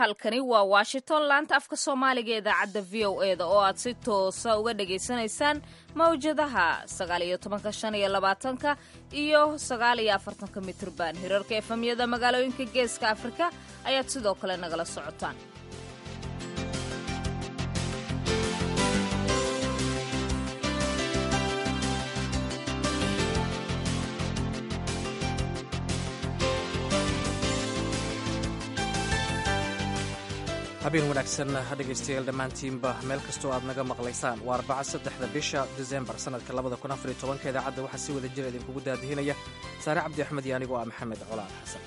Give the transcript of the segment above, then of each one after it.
Halkani waa Washington, laanta afka Soomaaliga ee idaacadda VOA-da oo aad si toosa uga dhagaysanaysaan mawjadaha 19-ka, 25-ka iyo 49-ka mitrban. Hirarka efamyada magaalooyinka Geeska Afrika ayaad sidoo kale nagala socotaan. Habeen wanaagsan dhegaystayaal dhammaantiinba, meel kastoo aad naga maqlaysaan. Waa Arbaca, 3-da bisha Disembar sanadka 2014-ka. Idaacadda waxaa si wada jira idinkugu daadihinaya Saare Cabdi Axmed iyo anigoo ah Maxamed Colaal Xasan.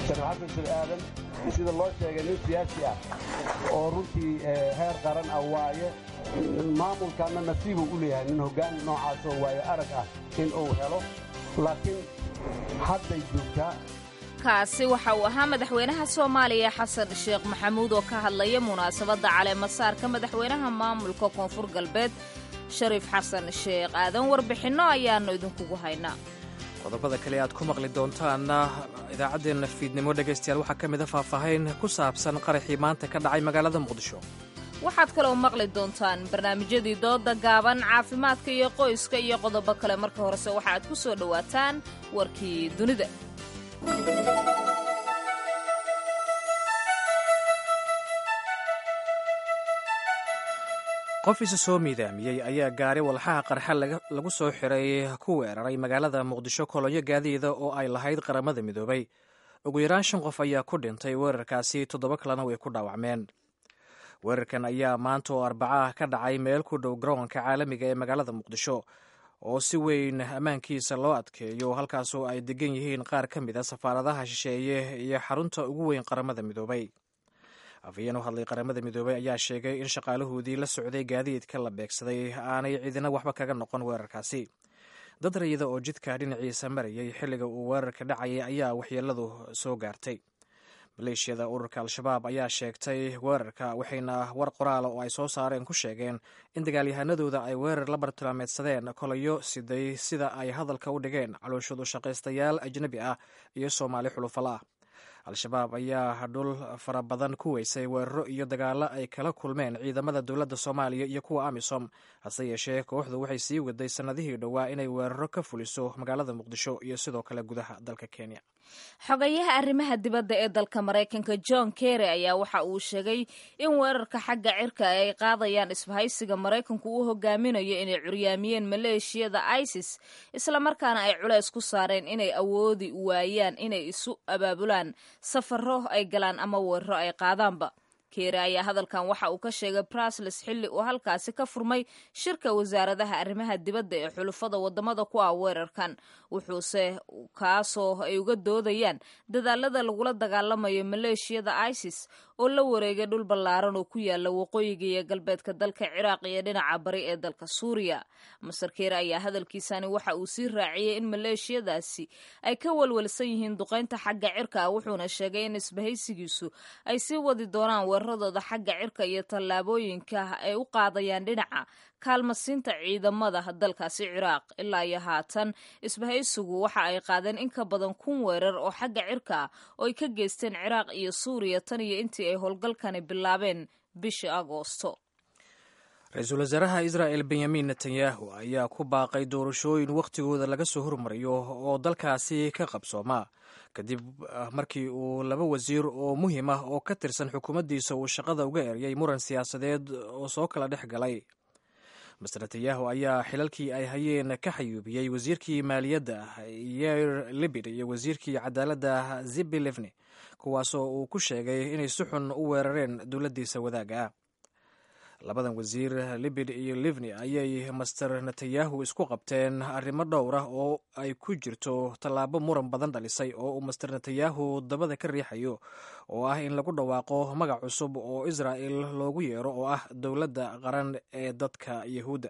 Xasan Shir Aadan, sida loo sheegay, nin siyaasi ah oo runtii heer qaran ah waaye. Maamulkanna nasiibuu u leeyahay nin hoggaan noocaasoo waaye arag ah in uu helo, laakiin hadday joogtaa. Kaasi waxa uu ahaa madaxweynaha Soomaaliya Xasan Sheekh Maxamuud oo ka hadlaya munaasabadda caleemasaarka madaxweynaha maamulka Koonfur Galbeed Shariif Xasan Sheekh Aadan. Warbixinno ayaannu idinkugu haynaa. Qodobada kale aad ku maqli doontaanna idaacaddeenna fiidnimo, dhegaystayaal, waxaa ka mid a faahfaahayn ku saabsan qaraxii maanta ka dhacay magaalada Muqdisho. Waxaad kaloo maqli doontaan barnaamijyadii dooda gaaban, caafimaadka iyo qoyska iyo qodobo kale. Marka horese waxaaad ku soo dhowaataan warkii dunida. Qof isa soo miidaamiyey ayaa gaari walxaha qarxa lagu soo xiray ku weeraray magaalada Muqdisho kolonyo gaadiida oo ay lahayd Qaramada Midoobay. Ugu yaraan shan qof ayaa ku dhintay weerarkaasi, toddoba kalena way ku dhaawacmeen. Weerarkan ayaa maanta oo Arbacaah ka dhacay meel ku dhow garoonka caalamiga ee magaalada Muqdisho oo si weyn ammaankiisa loo adkeeyo, halkaasoo ay degan yihiin qaar ka mid a safaaradaha shisheeye iyo xarunta ugu weyn Qaramada Midoobay. Afhayeen u hadlay Qaramada Midoobay ayaa sheegay in shaqaalahoodii la socday gaadiidka la beegsaday aanay ciidina waxba kaga noqon weerarkaasi. Dad rayida oo jidka dhinaciisa marayay xilliga uu weerarka dhacayay ayaa waxyeeladu soo gaartay. Maleeshiyada ururka Al-Shabaab ayaa sheegtay weerarka, waxayna war qoraala oo ay soo saareen ku sheegeen in dagaalyahanadooda ay weerar la bartilmaameedsadeen kolayo siday, sida ay hadalka u dhigeen, calooshadu shaqaystayaal ajnabi ah iyo Soomaali xulufala ah. Al-Shabaab ayaa dhul fara badan ku weysay weeraro iyo dagaallo ay kala kulmeen ciidamada dowladda Soomaaliya iyo kuwa AMISOM. Hase yeeshee, kooxdu waxay sii waday sannadihii dhowaa inay weeraro ka fuliso magaalada Muqdisho iyo sidoo kale gudaha dalka Kenya. Xogayaha arrimaha dibadda ee dalka Maraykanka John Kerry ayaa waxa uu sheegay in weerarka xagga cirka ay qaadayaan isbahaysiga Maraykanku uu hogaaminayo inay curyaamiyeen maleeshiyada ISIS, islamarkaana ay culays ku saareen inay awoodi waayaan inay isu abaabulaan, safaro ay galaan ama weeraro ay qaadaanba. Keere ayaa hadalkan waxa uu ka sheegay Brusles xilli uu halkaasi ka furmay shirka wasaaradaha arrimaha dibadda ee xulufada wadamada ku ah weerarkan, wuxuuse kaasoo ay uga doodayaan dadaalada lagula dagaalamayo maleeshiyada ISIS oo la wareegay dhul ballaaran oo ku yaala waqooyiga iyo galbeedka dalka Ciraaq iyo dhinaca bari ee dalka Suuriya. Master Keere ayaa hadalkiisani waxa uu sii raaciyey in maleeshiyadaasi ay ka walwalsan yihiin duqaynta xagga cirka ah, wuxuuna sheegay in isbahaysigiisu ay sii wadi doonaan weeraradooda xagga cirka iyo tallaabooyinka ay u qaadayaan dhinaca kaalmasiinta ciidamada dalkaasi Ciraaq. Ilaa iyo haatan isbahaysigu waxa ay qaadeen in ka badan 1000 weerar oo xagga cirka ah oo ay ka geysteen Ciraaq iyo Suuriya tan iyo intii ay howlgalkani bilaabeen bishii Agoosto. Ra-iisul wasaaraha Israa'el Benyamin Netanyahu ayaa ku baaqay doorashooyin wakhtigooda laga soo hormariyo oo dalkaasi ka qabsooma, kadib markii uu laba wasiir oo muhiim ah oo ka tirsan xukuumaddiisa uu shaqada uga eryay muran siyaasadeed oo soo kala dhex galay. Master Netanyahu ayaa xilalkii ay hayeen ka xayuubiyey wasiirkii maaliyadda Yair Libid iyo wasiirkii cadaaladda Zibi Livni, kuwaasoo uu ku sheegay inay si xun u weerareen dowladdiisa wadaagga ah. Labadan wasiir, Libid iyo Livni, ayay Master Netanyahu isku qabteen arrimo dhowr ah oo ay ku jirto tallaabo muran badan dhalisay oo uu Master Netanyahu dabada ka riixayo, oo ah in lagu dhawaaqo magac cusub oo Israa'el loogu yeero, oo ah dowladda qaran ee dadka Yahuudda.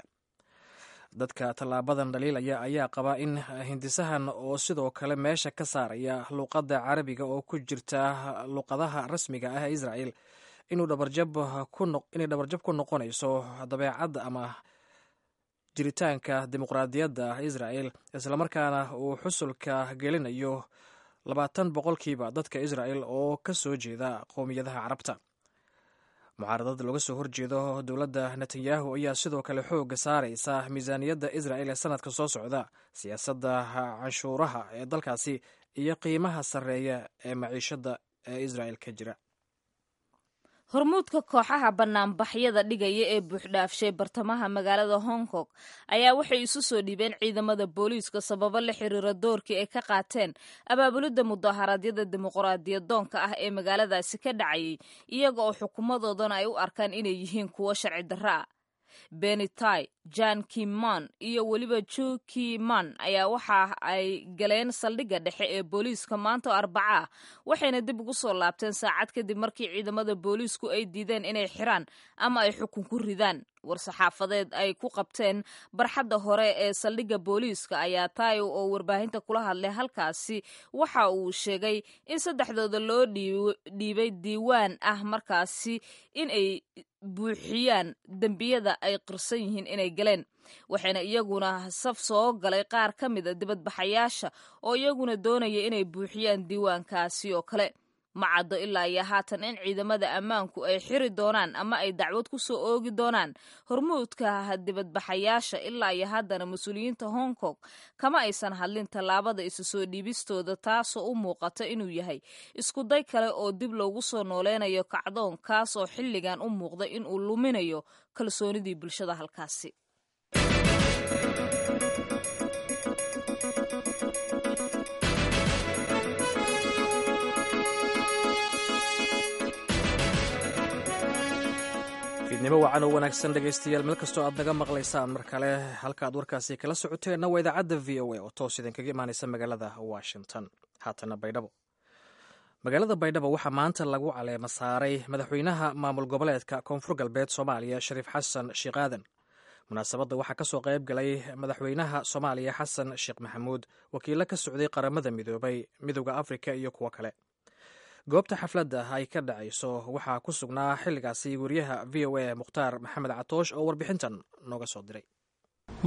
Dadka tallaabadan dhaliilaya ayaa qaba in hindisahan oo sidoo kale meesha ka saaraya luqadda Carabiga oo ku jirta luqadaha rasmiga ah ee Israel inuu inay dhabarjab ku noqonayso dabeecadda ama jiritaanka dimuqraadiyadda israel, islamarkaana uu xusulka gelinayo 20% dadka israel oo ka soo jeeda qowmiyadaha Carabta. Mucaaradada looga soo horjeedo dowladda Netanyahu ayaa sidoo kale xooga saaraysa miisaaniyadda Israel ee sanadka soo socda, siyaasadda canshuuraha ee dalkaasi iyo qiimaha sarreeya ee maciishadda ee Israel ka jira. Hormuudka kooxaha banaanbaxyada dhigaya ee buuxdhaafshay bartamaha magaalada Hong Kong ayaa waxay isu soo dhiibeen ciidamada booliiska sababo la xiriira doorkii ay ka qaateen abaabulidda mudaharaadyada dimuqraadiyadoonka ah ee magaaladaasi ka dhacayay, iyaga oo xukuumadoodana ay u arkaan inay yihiin kuwo sharci darro ah. Benitai, Jan Kiman iyo weliba Ju Kiman ayaa waxa ay galeen saldhigga dhexe ee booliiska maanta oo Arbaca ah, waxayna dib ugu soo laabteen saacad kadib markii ciidamada booliisku ay diideen inay xiraan ama ay xukun ku ridaan. War-saxaafadeed ay ku qabteen barxadda hore ee saldhigga booliiska ayaa Tayo oo warbaahinta kula hadlay halkaasi waxa uu sheegay in saddexdooda loo dhiibay diiwaan ah markaasi in ay buuxiyaan dembiyada ay qirsan yihiin inay galeen, waxayna iyaguna saf soo galay qaar ka mida dibadbaxayaasha oo iyaguna doonaya inay buuxiyaan diiwaankaasi oo kale. Ma caddo ilaa iyo haatan in ciidamada ammaanku ay xiri doonaan ama ay dacwad ku soo oogi doonaan hormuudka dibadbaxayaasha. Ilaa iyo haddana mas-uuliyiinta Hong Kong kama aysan hadlin tallaabada isu soo dhiibistooda, taasoo u muuqata inuu yahay iskuday kale oo dib loogu soo nooleynayo kacdoon kaasoo xilligan u muuqda inuu luminayo kalsoonidii bulshada halkaasi. Fiidnimo wacan oo wanaagsan, dhegaystayaal, meel kastoo aad naga maqlaysaan. Mar kale, halka aad warkaasi kala socoteenna waa idaacadda VOA oo toos idinkaga imaanaysa magaalada Washington. Haatana Baydhabo. Magaalada Baydhabo waxaa maanta lagu caleema saaray madaxweynaha maamul goboleedka Koonfur Galbeed Soomaaliya, Shariif Xasan Sheekh Aadan. Munaasabadda waxaa kasoo qayb galay madaxweynaha Soomaaliya Xasan Sheekh Maxamuud, wakiilo ka socday Qaramada Midoobay, Midowda Afrika iyo kuwo kale. Goobta xafladda ay ka dhacayso waxaa ku sugnaa xilligaasi wariyaha VOA Mukhtaar Maxamed Catoosh oo warbixintan nooga soo diray.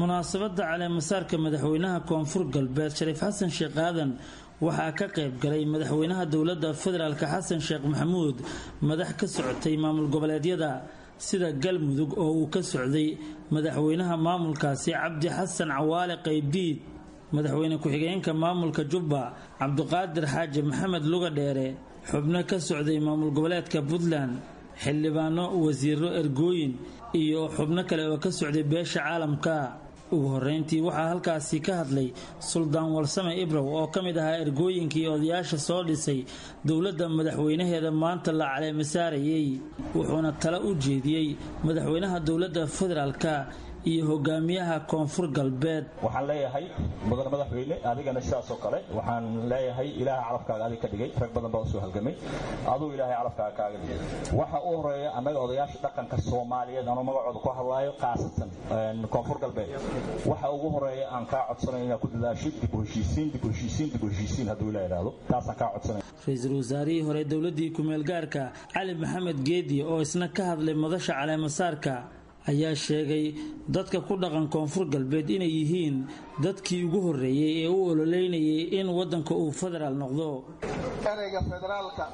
Munaasabadda caleemasaarka madaxweynaha Koonfur Galbeed Shariif Xasan Sheekh Aadan waxaa ka qayb galay madaxweynaha dowladda federaalk Xasan Sheekh Maxamuud, madax ka socotay maamul goboleedyada sida Galmudug oo uu ka socday madaxweynaha maamulkaasi Cabdi Xasan Cawaale Qaybdiid, madaxweyne ku-xigeenka maamulka Jubba Cabdiqaadir Xaaji Maxamed Luga Dheere, xubno ka socday maamul goboleedka Puntland, xildhibaano, wasiiro, ergooyin iyo xubno kale oo ka socday beesha caalamka. Ugu horeyntii waxaa halkaasi ka hadlay Suldaan Warsame Ibrow oo ka mid ahaa ergooyinkii odayaasha soo dhisay dowladda madaxweynaheeda maanta la caleema saarayey, wuxuuna talo u jeediyey madaxweynaha dowladda federaalka iyo hogaamiyaha Koonfur Galbeed. Waxaan leeyahay, mudane madaxweyne, adigana sidaas oo kale waxaan leeyahay, Ilaaha calafkaaga adig ka dhigay. Rag badan baa usoo halgamay, aduu Ilaahay calafkaaga kaaga dhigay. Waxa u horeeya, annaga odayaasha dhaqanka Soomaaliyeed, anuu magacooda ku hadlaayo, khaasatan Koonfur Galbeed, waxa ugu horeeya aan kaa codsanayo inaad ku dadaashid dib u heshiisiin, dib u heshiisiin, dib u heshiisiin, hadduu Ilaah idhaahdo. Taasaan kaa codsanaya. Ra-iisul wasaarihii hore dowladdii kumeel gaarka Cali Maxamed Geedi oo isna ka hadlay madasha caleemasaarka ayaa sheegay dadka ku dhaqan Koonfur Galbeed inay yihiin dadkii ugu horreeyey ee u ololeynayay in waddanka uu federaal noqdo. Ereyga federaalka,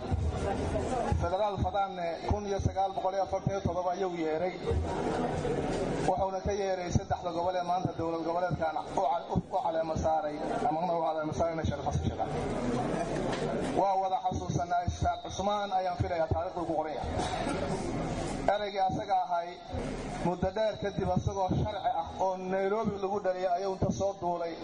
federaal fadaanne, 1947 ayuu yeeray, wuxuuna ka yeeray saddexda gobol ee maanta dowlad goboleedkan u caleema saaray amana u caleema saarayna Sharif Xasan Sheekh. Waa wada xasuusanaa, Ishaaq Cusmaan ayaan filayaa taariikhdu ku qoranya ereygii asaga ahay. Muddo dheer kadib, asagoo sharci ah oo Nairobi lagu dhaliyay ayuu inta soo duulay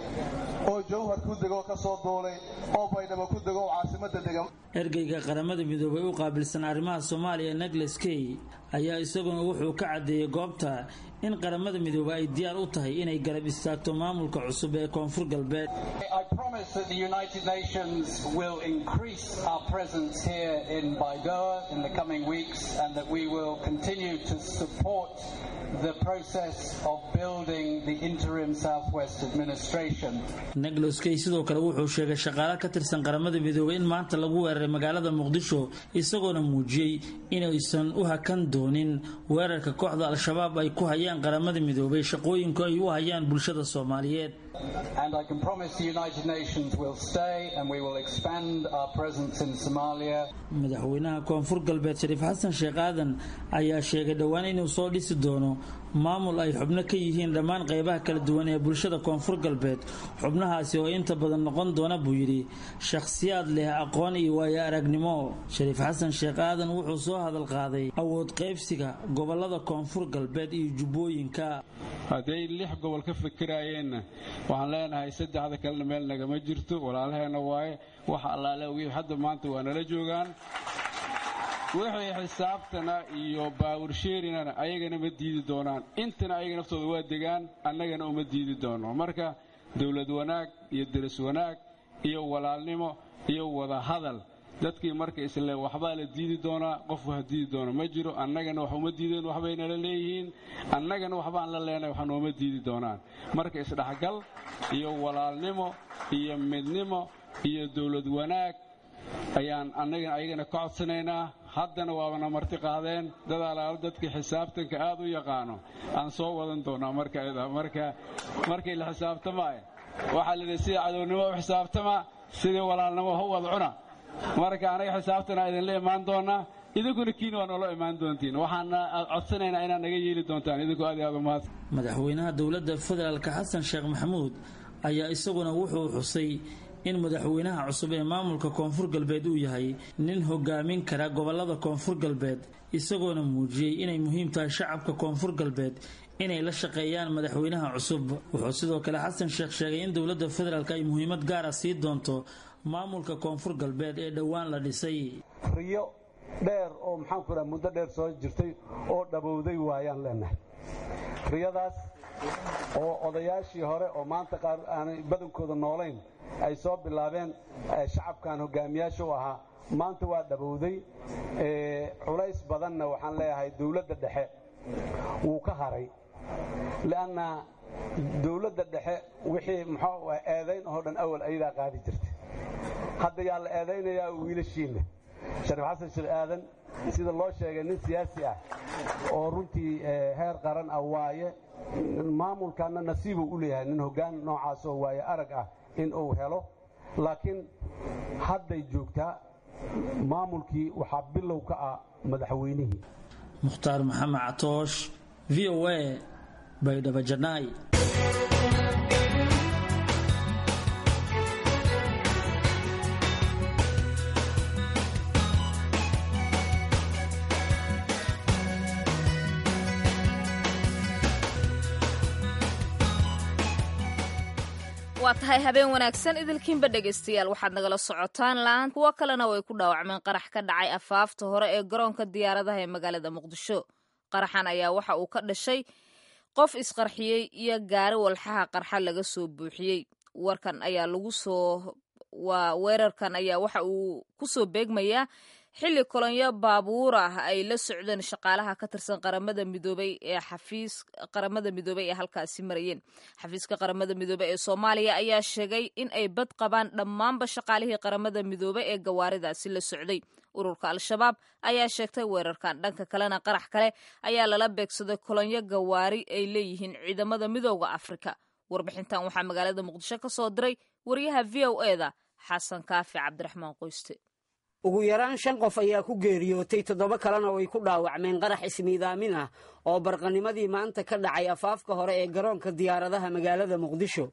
oo Jowhar ku dego, ka soo duulay oo Baydhabo ku dego oo caasimadda degan. Ergeyga Qaramada Midoobay u qaabilsan arrimaha Soomaaliya Negles Key ayaa isaguna wuxuu ka caddeeyey goobta in Qaramada Midoobay ay diyaar u tahay inay garab istaagto maamulka cusub ee Koonfur Galbeed. I promise that the United Nations will increase our presence here in Baidoa in the coming weeks and that we will continue to support the process of building the interim Southwest administration. Nicholas Kay sidoo kale wuxuu sheegay shaqaale ka tirsan Qaramada Midoobay in maanta lagu weeraray magaalada Muqdisho, isagoona muujiyey inaysan u hakan doonin weerarka kooxda Al-Shabaab ay ku hayaan Qaramada Midoobay shaqooyinku ay u hayaan bulshada Soomaaliyeed. And I can promise the United Nations will stay and we will expand our presence in Somalia. Madaxweynaha Koonfur Galbeed Shariif Xasan Sheekh Aadan ayaa sheegay dhowaan inuu soo dhisi doono maamul ay xubno ka yihiin dhammaan qaybaha kala duwan ee bulshada Koonfur Galbeed, xubnahaasi oo inta badan noqon doona buu yidhi shakhsiyaad leh aqoon iyo waayo aragnimo. Shariif Xasan Sheekh Aadan wuxuu soo hadal qaaday awood qaybsiga gobolada Koonfur Galbeed iyo Jubbooyinka. Hadday 6 gobol ka fikiraayeenna, waxaan leenahay saddexda kalena meel nagama jirto, walaalaheenna waaye. Waxa allaale wixii hadda maanta waa nala joogaan. Wixii xisaabtana iyo baawursheerinana ayagana ma diidi doonaan. Intana ayaga naftooda waa degaan, annagana uma diidi doono. Marka dowlad wanaag iyo deris wanaag iyo walaalnimo iyo wada hadal, dadkii marka isle waxbaa la diidi doonaa, qof wax diidi doono ma jiro. Annagana wax uma diideen, waxbay nala leeyihiin, annagana waxbaan la leenahay, wax nooma diidi doonaan. Marka isdhexgal iyo walaalnimo iyo midnimo iyo dowlad wanaag ayaan annagana ayagana ka codsanaynaa. Haddana waabana marti qaadeen dad alaalo dadkii xisaabtanka aad u yaqaano aan soo wadan doonaa. Marka marka markii la xisaabtamaayo waxaa la yidhi sida cadownimo u xisaabtama, sidii walaalnimo ha u wada cuna. Marka anaga xisaabtana idinla imaan doonaa, idinkuna kiina waa noola imaan doontiin. Waxaana codsanaynaa inaad naga yeeli doontaan idinku. Aad iyo aad umahadsan. Madaxweynaha dowladda federaalka Xasan Sheekh Maxamuud ayaa isaguna wuxuu xusay in madaxweynaha cusub ee maamulka Koonfur Galbeed uu yahay nin hogaamin kara gobolada Koonfur Galbeed, isagoona muujiyey inay muhiim tahay shacabka Koonfur Galbeed inay la shaqeeyaan madaxweynaha cusub. Wuxuu sidoo kale Xasan Sheekh sheegay in dowladda federaalk ay muhiimad gaara sii doonto maamulka Koonfur Galbeed ee dhowaan la dhisay. Riyo dheer oo maxaan ku dhaha muddo dheer soo jirtay oo dhabowday waayaan leenahay. Riyadaas oo odayaashii hore oo maanta qaar aanay badankooda noolayn ay soo bilaabeen, shacabkan hogaamiyaasha u ahaa, maanta waa dhabowday. Culays badanna waxaan leeyahay dowladda dhexe wuu ka haray, li'anna dowladda dhexe wixii muxuu eedayn oo dhan awal ayadaa qaadi jirtay. Hadda yaa la eedaynayaa? Wiilashiinna. Shariif Xasan Sheekh Aadan, sida loo sheegay, nin siyaasi ah oo runtii heer qaran ah waaye. Maamulkanna nasiibuu u leeyahay nin hoggaan noocaas oo waaye arag ah in uu helo. Laakiin hadday joogtaa maamulkii waxaa bilow ka ah madaxweynihii. Mukhtaar Maxamed Catoosh, VOA, Baydhabo Janaay. Waa tahay, habeen wanaagsan idilkiinba dhegaystayaal. Waxaad nagala socotaan laan. Kuwo kalena way ku dhaawacmeen qarax ka dhacay afaafta hore ee garoonka diyaaradaha ee magaalada Muqdisho. Qaraxan ayaa waxa uu ka dhashay qof isqarxiyey iyo gaari walxaha qarxa laga soo buuxiyey. Warkan ayaa lagu soo waa weerarkan ayaa waxa uu ku soo beegmayaa xilli kolonyo baabuur ah ay la socdeen shaqaalaha ka tirsan Qaramada Midoobay ee xafiis Qaramada Midoobay ee halkaasi marayeen. Xafiiska Qaramada Midoobey ee Soomaaliya ayaa sheegay in ay bad qabaan dhammaanba shaqaalihii Qaramada Midoobey ee gawaaridaasi la socday. Ururka Al-Shabaab ayaa sheegtay weerarkan. Dhanka kalena, qarax kale ayaa lala beegsaday kolonyo gawaari ay leeyihiin ciidamada Midooda Afrika. Warbixintan waxaa magaalada Muqdisho ka soo diray wariyaha VOA-da Xasan Kaafi Cabdiraxmaan Qoyste. Ugu yaraan shan qof ayaa ku geeriyootay, toddoba kalena way ku dhaawacmeen qarax ismiidaamin ah oo barqanimadii maanta ka dhacay afaafka hore ee garoonka diyaaradaha magaalada Muqdisho.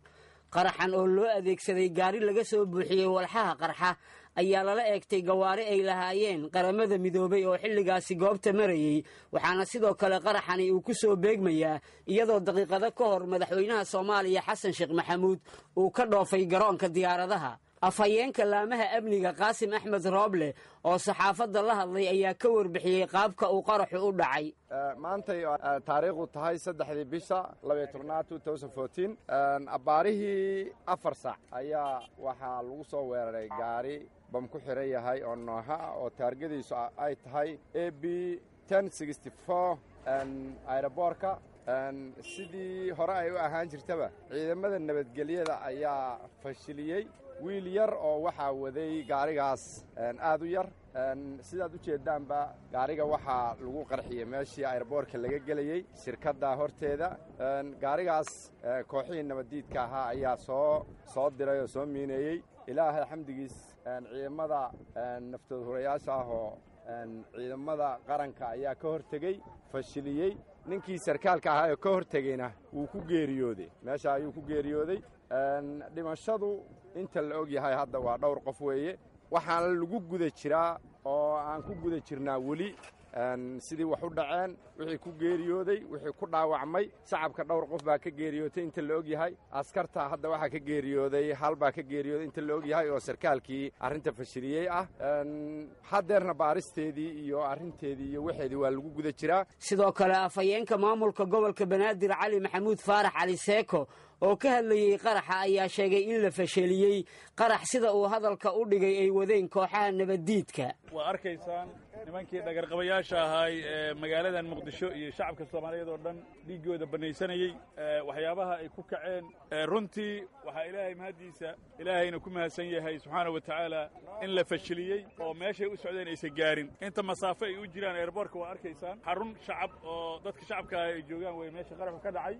Qaraxan oo loo adeegsaday gaari laga soo buuxiyey walxaha qarxa ayaa lala eegtay gawaari ay lahaayeen Qaramada Midoobay oo xilligaasi goobta marayey, waxaana sidoo kale qaraxani uu ku soo beegmayaa iyadoo daqiiqado ka hor madaxweynaha Soomaaliya Xasan Sheekh Maxamuud uu ka dhoofay garoonka diyaaradaha. Afhayeenka laamaha amniga Qaasim Axmed Rooble oo saxaafadda la hadlay ayaa ka warbixiyey qaabka uu qaraxu u dhacay. Maantay taariikhdu tahay 3-dii bisha 12-aad abbaarihii 4 saac ayaa waxaa lagu soo weeraray gaari bam ku xiran yahay oo nooha ah oo taargadiisu ay tahay AB Aeroboorka sidii hore ay u ahaan jirtaba, ciidamada nabadgelyada ayaa fashiliyey. Wiil yar oo waxaa waday gaarigaas aad u yar. Sidaad u jeeddaanba, gaariga waxaa lagu qarxiyey meeshii aeroboorka laga gelayey, shirkadda horteeda. Gaarigaas kooxihii nabaddiidka ahaa ayaa soo diray oo soo miineeyey. Ilaahay xamdigiis, ciidamada naftood hurayaasha ah oo ciidamada qaranka ayaa ka hortegey, fashiliyey. Ninkii sarkaalka ahaa oo ka hortegeyna wuu ku geeriyooday meesha, ayuu ku geeriyooday. Dhimashadu inta la og yahay hadda waa dhowr qof weeye. Waxaana lagu guda jiraa oo aan ku guda jirnaa weli sidii wax u dhaceen, wixii ku geeriyooday, wixii ku dhaawacmay. Shacabka dhowr qof baa ka geeriyootay inta la og yahay. Askarta hadda waxaa ka geeriyooday hal baa ka geeriyooday inta la og yahay, oo sarkaalkii arrinta fashiliyey ah. Haddeerna baaristeedii iyo arrinteedii iyo waxeedii waa lagu guda jiraa. Sidoo kale, afhayeenka maamulka gobolka Banaadir, Cali Maxamuud Faarax Cali Seeko, oo ka hadlayey qaraxa ayaa sheegay in la fasheliyey qarax, sida uu hadalka u dhigay, ay wadeen kooxaha nabaddiidka. Waa arkaysaan nimankii dhagarqabayaasha ahaay ee magaaladan Muqdisho iyo shacabka Soomaaliyeed oo dhan dhiiggooda bannaysanayey, waxyaabaha ay ku kaceen. Runtii waxaa Ilaahay mahaddiisa, Ilaahayna ku mahadsan yahay subxaana wa tacaala, in la fashiliyey oo meeshay u socdeen aysan gaarin, inta masaafo ay u jiraan eerboorka. Waa arkaysaan xarun shacab oo dadka shacabka ah ay joogaan wey meesha qaraxu ka dhacay.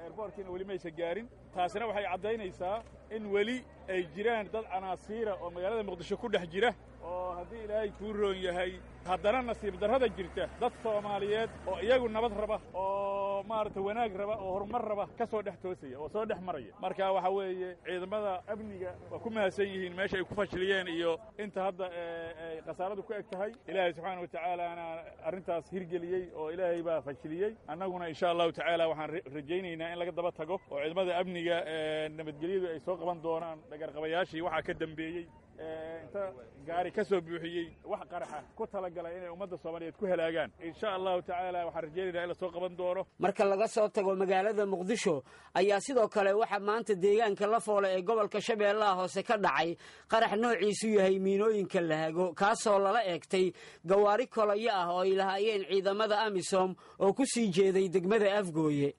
Eerboorkiina weli maysan gaarin. Taasina waxay caddaynaysaa in weli ay jiraan dad canaasiira oo magaalada Muqdisho ku dhex jira, oo haddii Ilaahay kuu roon yahay, haddana nasiib darrada jirta, dad Soomaaliyeed oo iyagu nabad raba oo maaragta wanaag raba oo horumar raba ka soo dhex toosaya oo soo dhex maraya. Marka waxa weeye, ciidamada amniga waa ku mahadsan yihiin meesha ay ku fashiliyeen iyo inta hadda ay khasaaradu ku eg tahay. Ilaahay subxaana wa tacaalaana arrintaas hirgeliyey oo Ilaahay baa fashiliyey. Annaguna insha Allahu tacaala waxaan rajaynaynaa in laga daba tago oo ciidamada amniga nabadgelyadu ay soo qaban doonaan dhagarqabayaashii waxaa ka dambeeyey, inta gaari ka soo buuxiyey wax qaraxa, ku talagalay inay ummadda Soomaaliyeed ku halaagaan. Insha Allahu tacaala waxaan rajaynaynaa in la soo qaban doono. Marka laga soo tago magaalada Muqdisho ayaa sidoo kale waxaa maanta deegaanka Lafoole ee gobolka Shabeellaha Hoose ka dhacay qarax noociisu yahay miinooyinka lahago, kaasoo lala eegtay gawaari kolayo ah oo ay lahaayeen ciidamada AMISOM oo ku sii jeeday degmada Afgooye.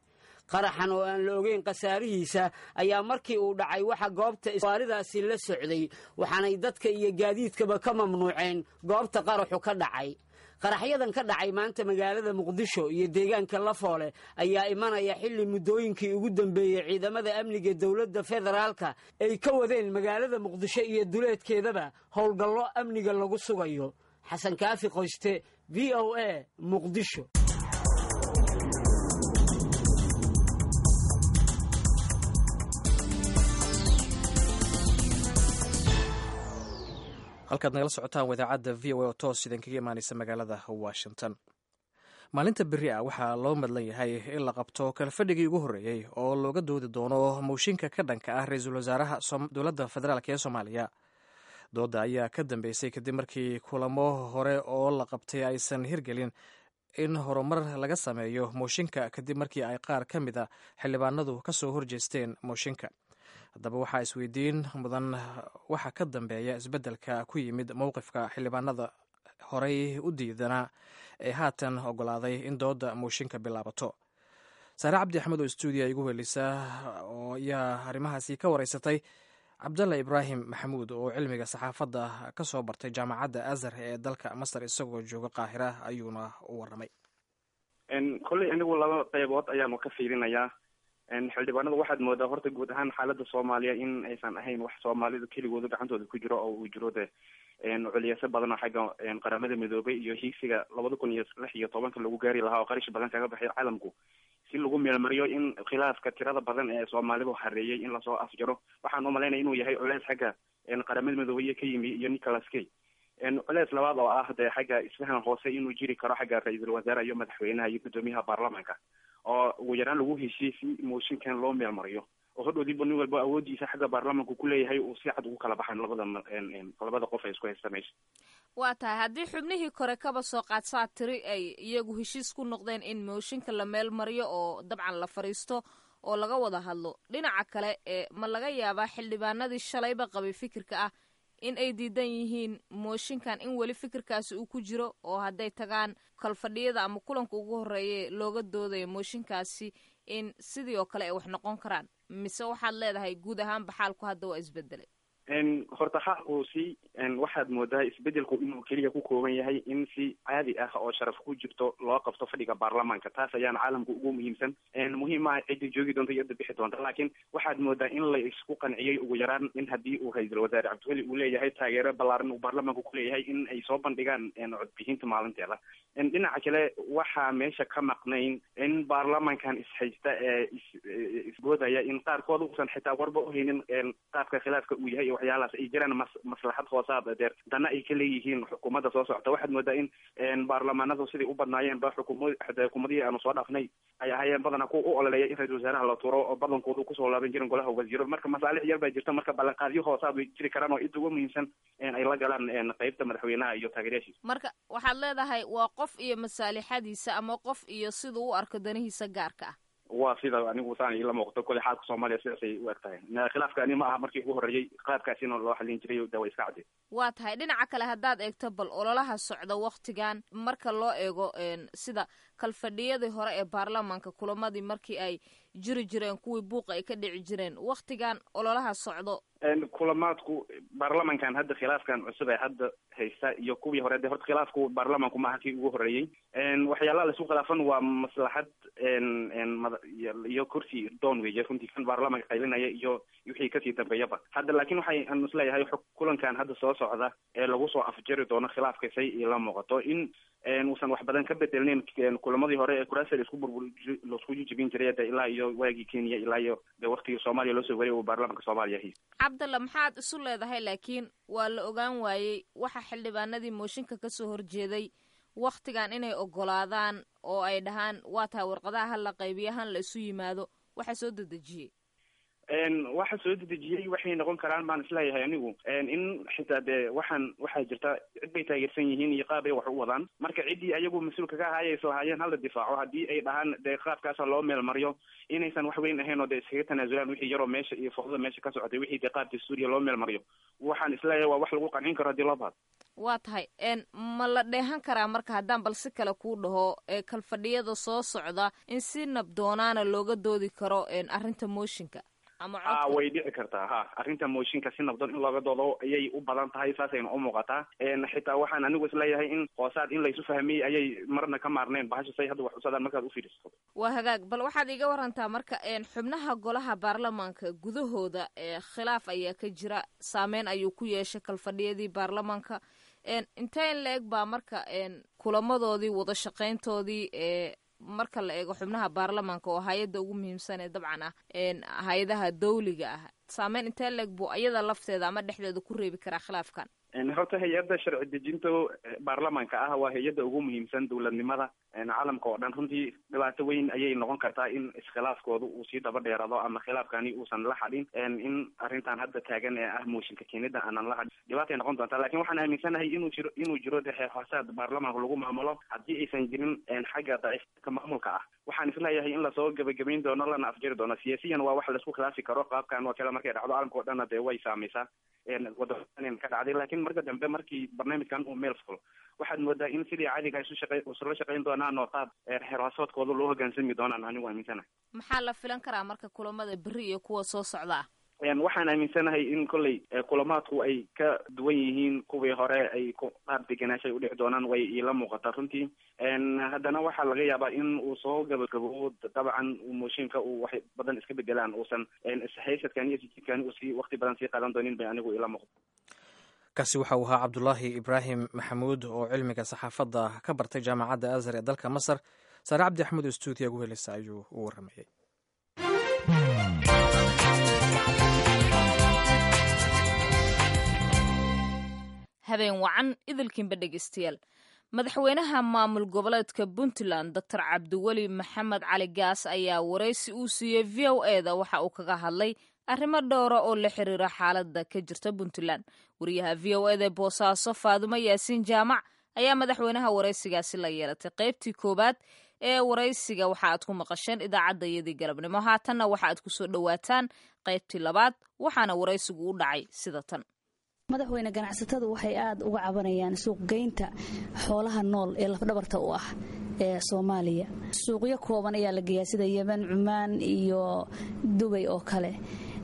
Qaraxan oo aan la ogeyn khasaarihiisa ayaa markii uu dhacay waxa goobta gawaaridaasi la socday, waxaanay dadka iyo gaadiidkaba ka mamnuuceen goobta qaraxu ka dhacay. Qaraxyadan ka dhacay maanta magaalada Muqdisho iyo deegaanka Lafoole ayaa imanaya xilli muddooyinkii ugu dambeeyey ciidamada amniga dowladda federaalka ay ka wadeen magaalada Muqdisho iyo duleedkeedaba howlgallo amniga lagu sugayo. Xasan Kaafi Qoyste, VOA, Muqdisho. Halkaad nagala socotaan wadaacadda VOA oo toos idinkaga imaaneysa magaalada Washington. Maalinta berri ah waxaa loo madlan yahay in la qabto kalfadhigii ugu horreeyey oo looga doodi doono mooshinka ka dhanka ah ra-iisul wasaaraha dowladda federaalk ee Soomaaliya. Doodda ayaa ka dambeysay kadib markii kulamo hore oo la qabtay aysan hirgelin in horumar laga sameeyo mooshinka, kadib markii ay qaar ka mid a xildhibaanadu ka soo horjeesteen mooshinka. Haddaba waxaa isweydiin mudan waxa ka dambeeya isbeddelka ku yimid mowqifka xildhibaanada horey u diidanaa ee haatan ogolaaday in doodda mooshinka bilaabato. Saare Cabdi Axmed oo stuudiya igu helisa oo ayaa arrimahaasi ka wareysatay Cabdalla Ibraahim Maxamuud oo cilmiga saxaafadda ka soo bartay Jaamacadda Azhar ee dalka Masar. Isagoo jooga Qaahira ayuuna u warramay. Kolley anigu laba qeybood ayaanu ka fiirinayaa. Xildhibaanada waxaad moodaa horta guud ahaan xaaladda Soomaaliya in aysan ahayn wax Soomaalidu keligooda gacantooda ku jiro, oo uu jiro de culiyase badan oo xagga Qaramada Midoobay iyo hiigsiga 2016-ka lagu gaari lahaa, oo qarish badan kaga baxay caalamku si lagu meelmariyo in khilaafka tirada badan ee Soomaalidu hareeyay in lasoo afjaro. Waxaan umalaynaya inuu yahay culeys xagga Qaramada Midoobay iyo ka yimi iyo Nicholas Kay. Culeys labaad oo ah dee xagga isfahan hoose inuu jiri karo xagga ra-iisul wasaare iyo madaxweynaha iyo guddoomiyaha baarlamaanka, oo ugu yaraan lagu heshiiyey si mooshinkan loo meelmariyo, oo hodhowdiiba nin walba awoodiisa xagga baarlamaanku kuleeyahay uu si cad ugu kala baxan labada qof ay isku haysta meesha. Waa tahay, haddii xubnihii kore kaba soo qaadsaa tiri ay iyagu heshiis ku noqdeen in mooshinka la meel mariyo oo dabcan la fadhiisto oo laga wada hadlo, dhinaca kale ee ma laga yaabaa xildhibaanadii shalayba qabay fikirka ah in ay diidan yihiin mooshinkan in weli fikirkaasi uu ku jiro oo hadday tagaan kalfadhiyada ama kulanka ugu horreeya looga doodayo mooshinkaasi in sidii oo kale ay wax noqon karaan, mise waxaad leedahay guud ahaanba xaalku hadda waa isbedelay? Horta xaalku si waxaad moodaa isbedelku inuu keliya ku kooban yahay in si caadi ah oo sharaf ku jirto loo qabto fadhiga baarlamaanka. Taas ayaana caalamka ugu muhiimsan. Muhiim maaha ciddii joogi doonta iyo cidda bixi doonta, laakiin waxaad moodaa in la isku qanciyey ugu yaraan in haddii uu ra-iisul wasaare Cabdiweli uu leeyahay taageero ballaaran uu baarlamaanka ku leeyahay in ay soo bandhigaan codbixinta maalinteeda. Dhinaca kale, waxaa meesha ka maqnayn in baarlamaankan ishaysta ee isboodaya in qaarkood uusan xitaa warba uhaynin qaabka khilaafka uu yahay iyo waxyaalahaas ay jiraan maslaxad hoosaad deer dana ay ka leeyihiin xukuumadda soo socota. Waxaad moodaa in baarlamaanadu sidai u badnaayeen ba xukuumadihii aanu soo dhaafnay ay ahaayeen badanaa kuwa u ololeeya in ra-isul wasaaraha la turo oo badankoodu kusoo laaban jirin golaha wasiiro. Marka masaalix yar baa jirta, marka ballanqaadyo hoosaad way jiri karaan oo inta ugu muhiimsan ay la galaan qeybta madaxweynaha iyo taageerayaashiisa. Marka waxaad leedahay waa qof iyo masaalixadiisa ama qof iyo siduu u arko danihiisa gaarka ah. Waa sida anigu saan ila muuqato. Kole xaalka Soomaaliya sidaasay u eg tahay. Khilaafka ani ma aha markii ugu horreeyey qaabkaasina loo xalin jiray, de way iska cadday. Waa tahay. Dhinaca kale haddaad eegto bal ololaha socda waktigan, marka loo eego sida kalfadhiyadii hore ee baarlamaanka, kulamadii markii ay jiri jireen, kuwii buuqa ay ka dhici jireen, waktigan ololaha socdo? Kulamaadku baarlamankan hadda khilaafkan cusub ee hadda haysta iyo kuwii hore, de horta khilaafku baarlamanku maaha kii ugu horreeyey. Waxyaalaha laisku khilaafan waa maslaxad iyo kursi doon weeye runtii, kan baarlamanka qaylinaya iyo wixii kasii dambeeyaba hadda. Laakiin waxay aan isleeyahay kulankan hadda soo socda ee lagu soo afjari doono khilaafka, say ila muuqato in uusan wax badan ka bedelnayn kulamadii hore ee kuraasta laisku burbur laisku jijibin jiray de ilaa iyo waagii Kenya ilaa iyo de waktigii Soomaaliya loo soo wariyay uu baarlamanka Soomaaliya haysta. Cabdalla, maxaad isu leedahay laakiin waa la ogaan waayey waxa xildhibaanadii mooshinka kasoo horjeeday waktigan inay ogolaadaan oo ay dhahaan waa tahay warqadaha ha la qaybiyo, han la isu yimaado, waxa soo dedejiyey? Waxa soo dedejiyey waxay noqon karaan baan isleeyahay anigu in xitaa dee waxaan waxaa jirta cid bay taageersan yihiin iyo qaab ay wax u wadaan. Marka ciddii ayagu mas-uulka ka ahaayay islahaayeen hala difaaco, haddii ay dhahaan dee qaabkaasa loo meel mariyo, inaysan wax weyn ahayn oo dee iskaga tanaasulaan wixii yaroo meesha iyo fowdada meesha ka socotay, wixii dee qaabka Suuriya loo meel mariyo, waxaan isleeyahay waa wax lagu qancin karo haddii loo baahdo. Waa tahay. Ma la dheehan karaa marka haddaan bal si kale kuu dhaho kalfadhiyada soo socda in si nabdoonaana looga doodi karo arrinta mooshinka ama Ha, way dhici kartaa. Ha, arrinta mooshinka si nabdoon in looga doodo ayay u badan tahay, saasayna u muuqataa. Xitaa waxaan anigu isleeyahay in hoosaad in laysu fahmiyey ayay marna ka maarneen bahasha say hadda wax usadaan markaad u fiirisato. Waa hagaag. Bal waxaad iiga warantaa marka xubnaha golaha baarlamaanka gudahooda khilaaf ayaa ka jira, saameyn ayuu ku yeeshay kalfadhiyadii baarlamaanka. Intee in la eg baa marka kulamadoodii wada shaqayntoodii marka la eego xubnaha baarlamaanka oo hay-adda ugu muhiimsan ee dabcan ah hay-adaha dawliga ah, saameyn intee la eg buu ayada lafteeda ama dhexdeeda ku reebi karaa khilaafkan? Horta hay-adda sharci dejinta baarlamaanka ah waa hay-adda ugu muhiimsan dowladnimada caalamka oo dhan. Runtii dhibaato weyn ayay noqon kartaa in iskhilaafkooda uu sii daba dheeraado ama khilaafkani uusan la xadhin, in arrintan hadda taagan ee ah mooshinka keenida aanan la hadhin, dhibaatay noqon doontaa. Lakin waxaan aaminsanahay inuu jiro de xeer hoosaad baarlamaanka lagu maamulo. Haddii aysan jirin xagga daciifka maamulka ah, waxaan isleeyahay in lasoo gebagabayn doono lana afjari doono. Siyaasiyan waa wax laisku khilaafi karo qaabkan oo kale markay dhacdo, caalamka oo dhanna dee way saameysaa waddan ka dhacday. Laakiin marka dambe markii barnaamijkan uu meel fulo, waxaad moodaa in sidii caadiga isu shaqey isula shaqayn doonaan oo qaab xeer hoosaadkooda loo hoggaansami doonaan, anigu aaminsanahay. Maxaa la filan karaa marka kulamada berri iyo kuwa soo socda ah? Waxaan aaminsanahay in kolley kulamaadku ay ka duwan yihiin kuwii hore, ay qaab degenaanshay udhici doonaan, way iila muuqataa runtii. Haddana waxaa laga yaabaa in uu soo gabagabo dabcan mooshinka uu wax badan iska bedelaan, uusan ishaysadkan iyo sijidkani uu sii waqti badan sii qaadan doonin bay anigu iila muuqda. Kaasi waxa uu ahaa Cabdulaahi Ibraahim Maxamuud oo cilmiga saxaafadda ka bartay Jaamacadda Azhar ee dalka Masar. Saare Cabdi Axmed oo stuudiya gu helisa ayuu u warramayay. Habeen wacan idilkiinba dhegeystayaal. Madaxweynaha maamul goboleedka Puntland, Doctor Cabdiweli Maxamed Cali Gaas, ayaa waraysi uu siiyey VOA da waxa uu kaga hadlay arrimo dhowra oo la xiriira xaaladda ka jirta Puntland. Wariyaha VOA da ee Boosaaso, Faadumo Yaasiin Jaamac, ayaa madaxweynaha waraysigaasi la yeelatay. Qaybtii koowaad ee waraysiga waxa aad ku maqasheen idaacaddayadii galabnimo. Haatanna waxa aad kusoo dhowaataan qaybtii labaad, waxaana waraysigu u dhacay sida tan. Madaxweyne, ganacsatadu waxay aad uga cabanayaan suuqgeynta xoolaha nool ee lafdhabarta u ah ee Soomaaliya. Suuqyo kooban ayaa la geeyaa sida Yemen, Cumaan iyo Dubay oo kale.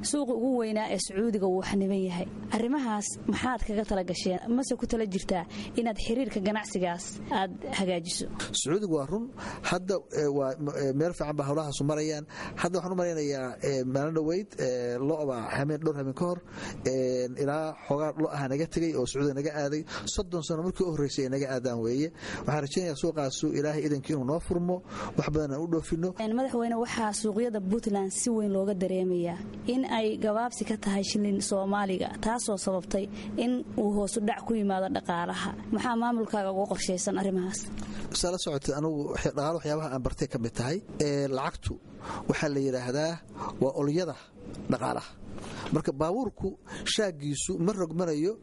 Suuqa ugu weynaa ee Sacuudiga wuu xaniban yahay. Arrimahaas maxaad kaga tala gasheen, mase ku tala jirtaa inaad xiriirka ganacsigaas aad hagaajiso? Sacuudigu waa run, hadda waa meel fiican ba howlahaasu marayaan. Hadda waxaan u malaynayaa maalin dhoweyd lo'ba hameen, dhowr hameen ka hor, ilaa xoogaa lo aha naga tegey oo Sacuudiga naga aaday. 30 sano markii u horreysay ay naga aadaan weeye. Waxaan rajaynayaa suuqaasu Ilaahay idankii inuu noo furmo, wax badan aan u dhoofino. Madaxweyne, waxaa suuqyada Puntland si weyn looga dareemayaa in ay gabaabsi ka tahay shilin Soomaaliga, taasoo sababtay in uu hoosu dhac ku yimaado dhaqaalaha. Maxaa maamulkaaga uga qorshaysan arrimahaas? Saa la socotay, anugu dhaqaalo waxyaabaha aan bartay ka mid tahay. Lacagtu waxaa la yidhaahdaa waa olyada dhaqaalaha. Marka baabuurku shaagiisu ma rogmanayo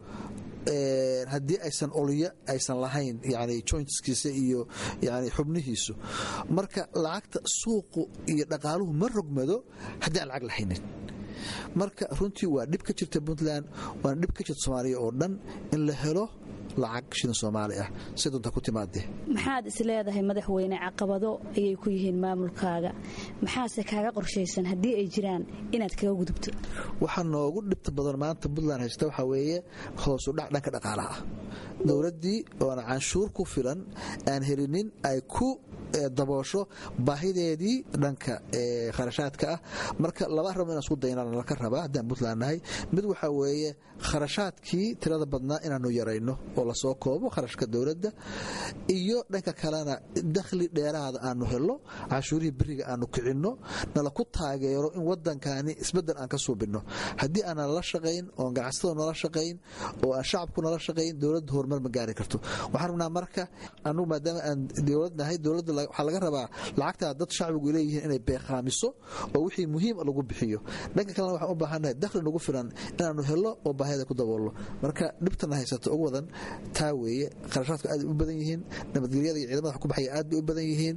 haddii aysan olyo aysan lahayn, yani jointskiisa iyo yani xubnihiisu. Marka lacagta suuqu iyo dhaqaaluhu ma rogmado haddii aan lacag lahaynin. Marka runtii waa dhib ka jirta Puntland, waana dhib ka jirta Soomaaliya oo dhan in la helo lacag shilin Soomaali ah si doonta ku timaadee. Maxaad is leedahay, madaxweyne, caqabado ayay ku yihiin maamulkaaga, maxaase kaaga qorshaysan haddii ay jiraan inaad kaga gudubto? Waxaa noogu dhibta badan maanta Puntland haysta waxaa weeye hoosu dhac dhanka dhaqaalaha ah. Dowladdii oona canshuur ku filan aan helinin ay ku daboosho baahideedii dhanka kharashaadka ah. Marka laba arrimood inaan isku daynaan laka rabaa haddaan Puntland nahay. Mid waxaa weeye kharashaadkii tirada badnaa inaanu yarayno oo lasoo koobo kharashka dowladda, iyo dhanka kalena dakhli dheeraada aanu helo, canshuurihii beriga aanu kicinno, nala ku taageero in wadankani isbedel aan ka suubinno. Haddii aanan la shaqayn oon ganacsatada nala shaqayn oo aan shacabku nala shaqayn, dowladda horumar ma gaari karto. Waxaan rabnaa marka anugu maadaama aan dowlad nahay, dowladda waxaa laga rabaa lacagtaa dad shacbigu leeyihiin inay beeqaamiso oo wixii muhiim lagu bixiyo. Dhanka kalena waxaan u baahannahay dakhli nagu filan inaanu helo oo baahiyada ku daboolno. Marka dhibtana haysato ugu wadan taa weeye. Kharashaadku aad u badan yihiin, nabadgelyada iyo ciidamada wax ku baxaya aad bay u badan yihiin,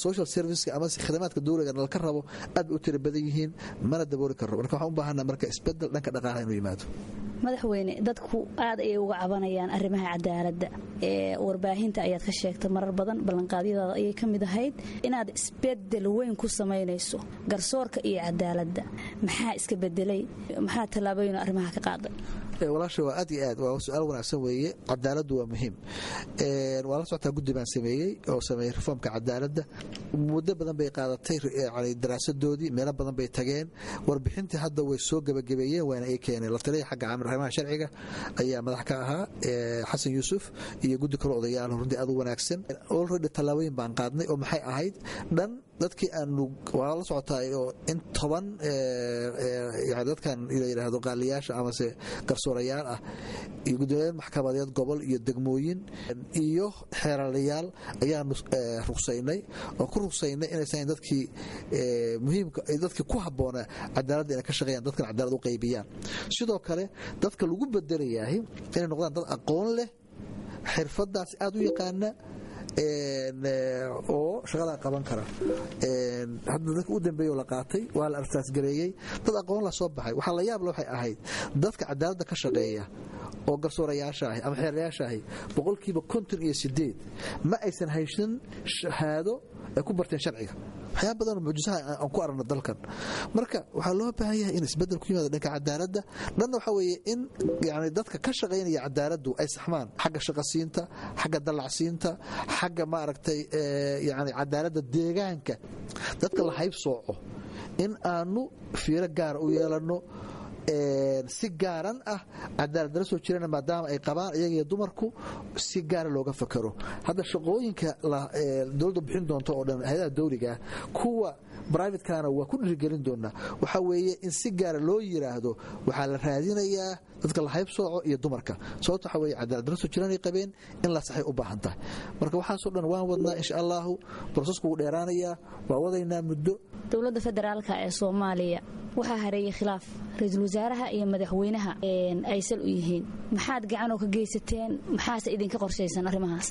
social serviceka ama khidamaadka dowliga nalka rabo aad bay u tira badan yihiin, mana dabooli karno. Marka waxaan u baahannahay marka isbedel dhanka dhaqaalaha inuu yimaado. Madaxweyne, dadku aad ayay uga cabanayaan arrimaha cadaaladda. Ee warbaahinta ayaad ka sheegtay marar badan, ballanqaadyadaada ayay ka mid ahayd inaad isbedel weyn ku samaynayso garsoorka iyo cadaaladda. Maxaa iska bedelay? Maxaa tallaabooyin arrimaha ka qaaday? Walaasha, waa aad iyo aad waa su-aal wanaagsan weeye. Cadaaladdu waa muhiim. Waa la socotaa, guddi baan sameeyey oo sameeyey reformka cadaaladda. Muddo badan bay qaadatay yani daraasadoodii, meelo badan bay tageen. Warbixintii hadda way soo gebagabeeyeen, waana ay keeneen. La taliya xagga arrimaha sharciga ayaa madax ka ahaa, Xasan Yuusuf, iyo guddi kale odayaal runtii aad u wanaagsan. Already tallaabooyin baan qaadnay oo maxay ahayd dhan dadkii aanu waa la socotaay oo in 10 yani dadkan la yidhaahdo qaaliyaasha amase garsoorayaal ah iyo guddoomiyayaal maxkamadeed gobol iyo degmooyin iyo xeeralayaal ayaanu rugsaynay oo ku rugsaynay inaysan dadkii muhiimka, dadkii ku habboonaa cadaaladda inay ka shaqeeyaan, dadkan cadaalad u qaybiyaan. Sidoo kale dadka lagu bedelayahay inay noqdaan dad aqoon leh, xirfadaas aad u yaqaana oo shaqadaa qaban kara. Hadda dadka u dambeeyo la qaatay waa la arsaasgareeyey, dad aqoon la soo baxay. Waxaa la yaab le waxay ahayd dadka cadaaladda ka shaqeeya oo garsoorayaasha ahi ama xeerayaasha ahi 58% ma aysan haysan shahaado ay ku barteen sharciga. Waxyaaba badan oo mucjisaha aan ku aragno dalkan. Marka waxaa loo baahan yahay in isbedel ku yimaado dhanka cadaaladda. Dhanna waxaa weeye in yani dadka ka shaqaynaya cadaaladdu ay saxmaan xagga shaqasiinta, xagga dallacsiinta, xagga maaragtay yani cadaaladda deegaanka dadka la hayb sooco in aanu fiiro gaara u yeelanno si gaaran ah cadaaladala soo jirana, maadaama ay qabaan iyaga iyo dumarku si gaara looga fakaro. Hadda shaqooyinka dowladdu bixin doonto oo dhan, hay-adaha dowligaah, kuwa brivatekana waa ku dhiirigelin doonaa, waxaa weeye in si gaara loo yiraahdo waxaa la raadinayaa dadka la hayb sooco iyo dumarka. Sababto waxaa weye cadaaladala soo jiranay qabeen in la saxay u baahan tahay. Marka waxaasoo dhan waan wadnaa, insha allahu brosesku wuu dheeraanayaa, waa wadaynaa muddo. Dowladda federaalka ee Soomaaliya Waxaa hareeyay khilaaf ra-iisul wasaaraha iyo madaxweynaha ay sal u yihiin. Maxaad gacanoo ka geysateen? Maxaase idinka qorshaysan arrimahaas?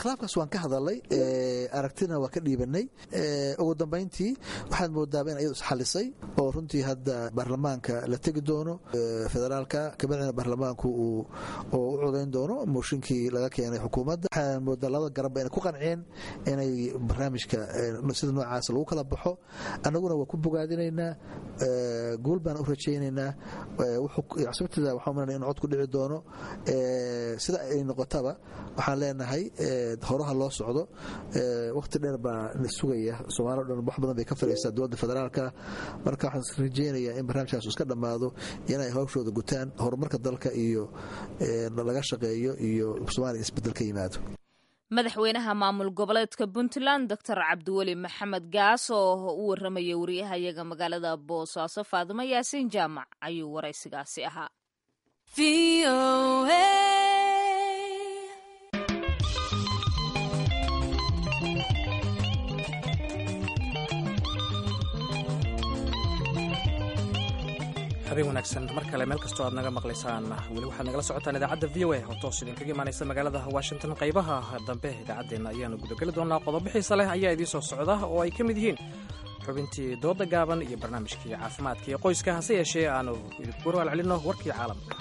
Khilaafkaas waan ka hadalay, aragtina waa ka dhiibanay. Ugu dambayntii waxaad moodaaba in ayadu isxalisay oo runtii hadda baarlamaanka la tegi doono federaalka, kabacdina baarlamaanku uu u codayn doono mooshinkii laga keenay xukuumadda. Waxaan moodaa labada garabba inay ku qanceen inay barnaamijka sida noocaas lagu kala baxo. Annaguna waa ku bogaadinaynaa, guul baan u rajaynaynaa. Sabtida waxaan umalanaya in cod ku dhici doono. Sida ay noqotaba waxaan leenahay horaha loo socdo. Waqti dheer baa na sugaya, Soomaali o dhan wax badan bay ka fadhiisaa dowladda federaalka. Marka waxaan rajaynayaa in barnaamijkaas iska dhammaado, inay hawshooda gutaan, horumarka dalka iyo laga shaqeeyo iyo Soomaaliya isbeddel ka yimaado. Madaxweynaha maamul goboleedka Puntland, Doctor Cabdiweli Maxamed Gaas, oo u waramayay wariyahayaga magaalada Boosaaso Faadimo Yaasiin Jaamac ayuu waraysigaasi ahaa. Habeen wanaagsan mar kale meel kastoo aad naga maqlaysaan. Weli waxaad nagala socotaan idaacadda VOA oo toos idinkaga imaanaysa magaalada Washington. Qaybaha dambe idaacaddeenna ayaanu gudageli doonaa. Qodobo xiisa leh ayaa idiin soo socda oo ay ka mid yihiin xubintii dooda gaaban iyo barnaamijkii caafimaadka iyo qoyska. Hase yeeshee aanu idinku warwaalcelinno warkii caalamka.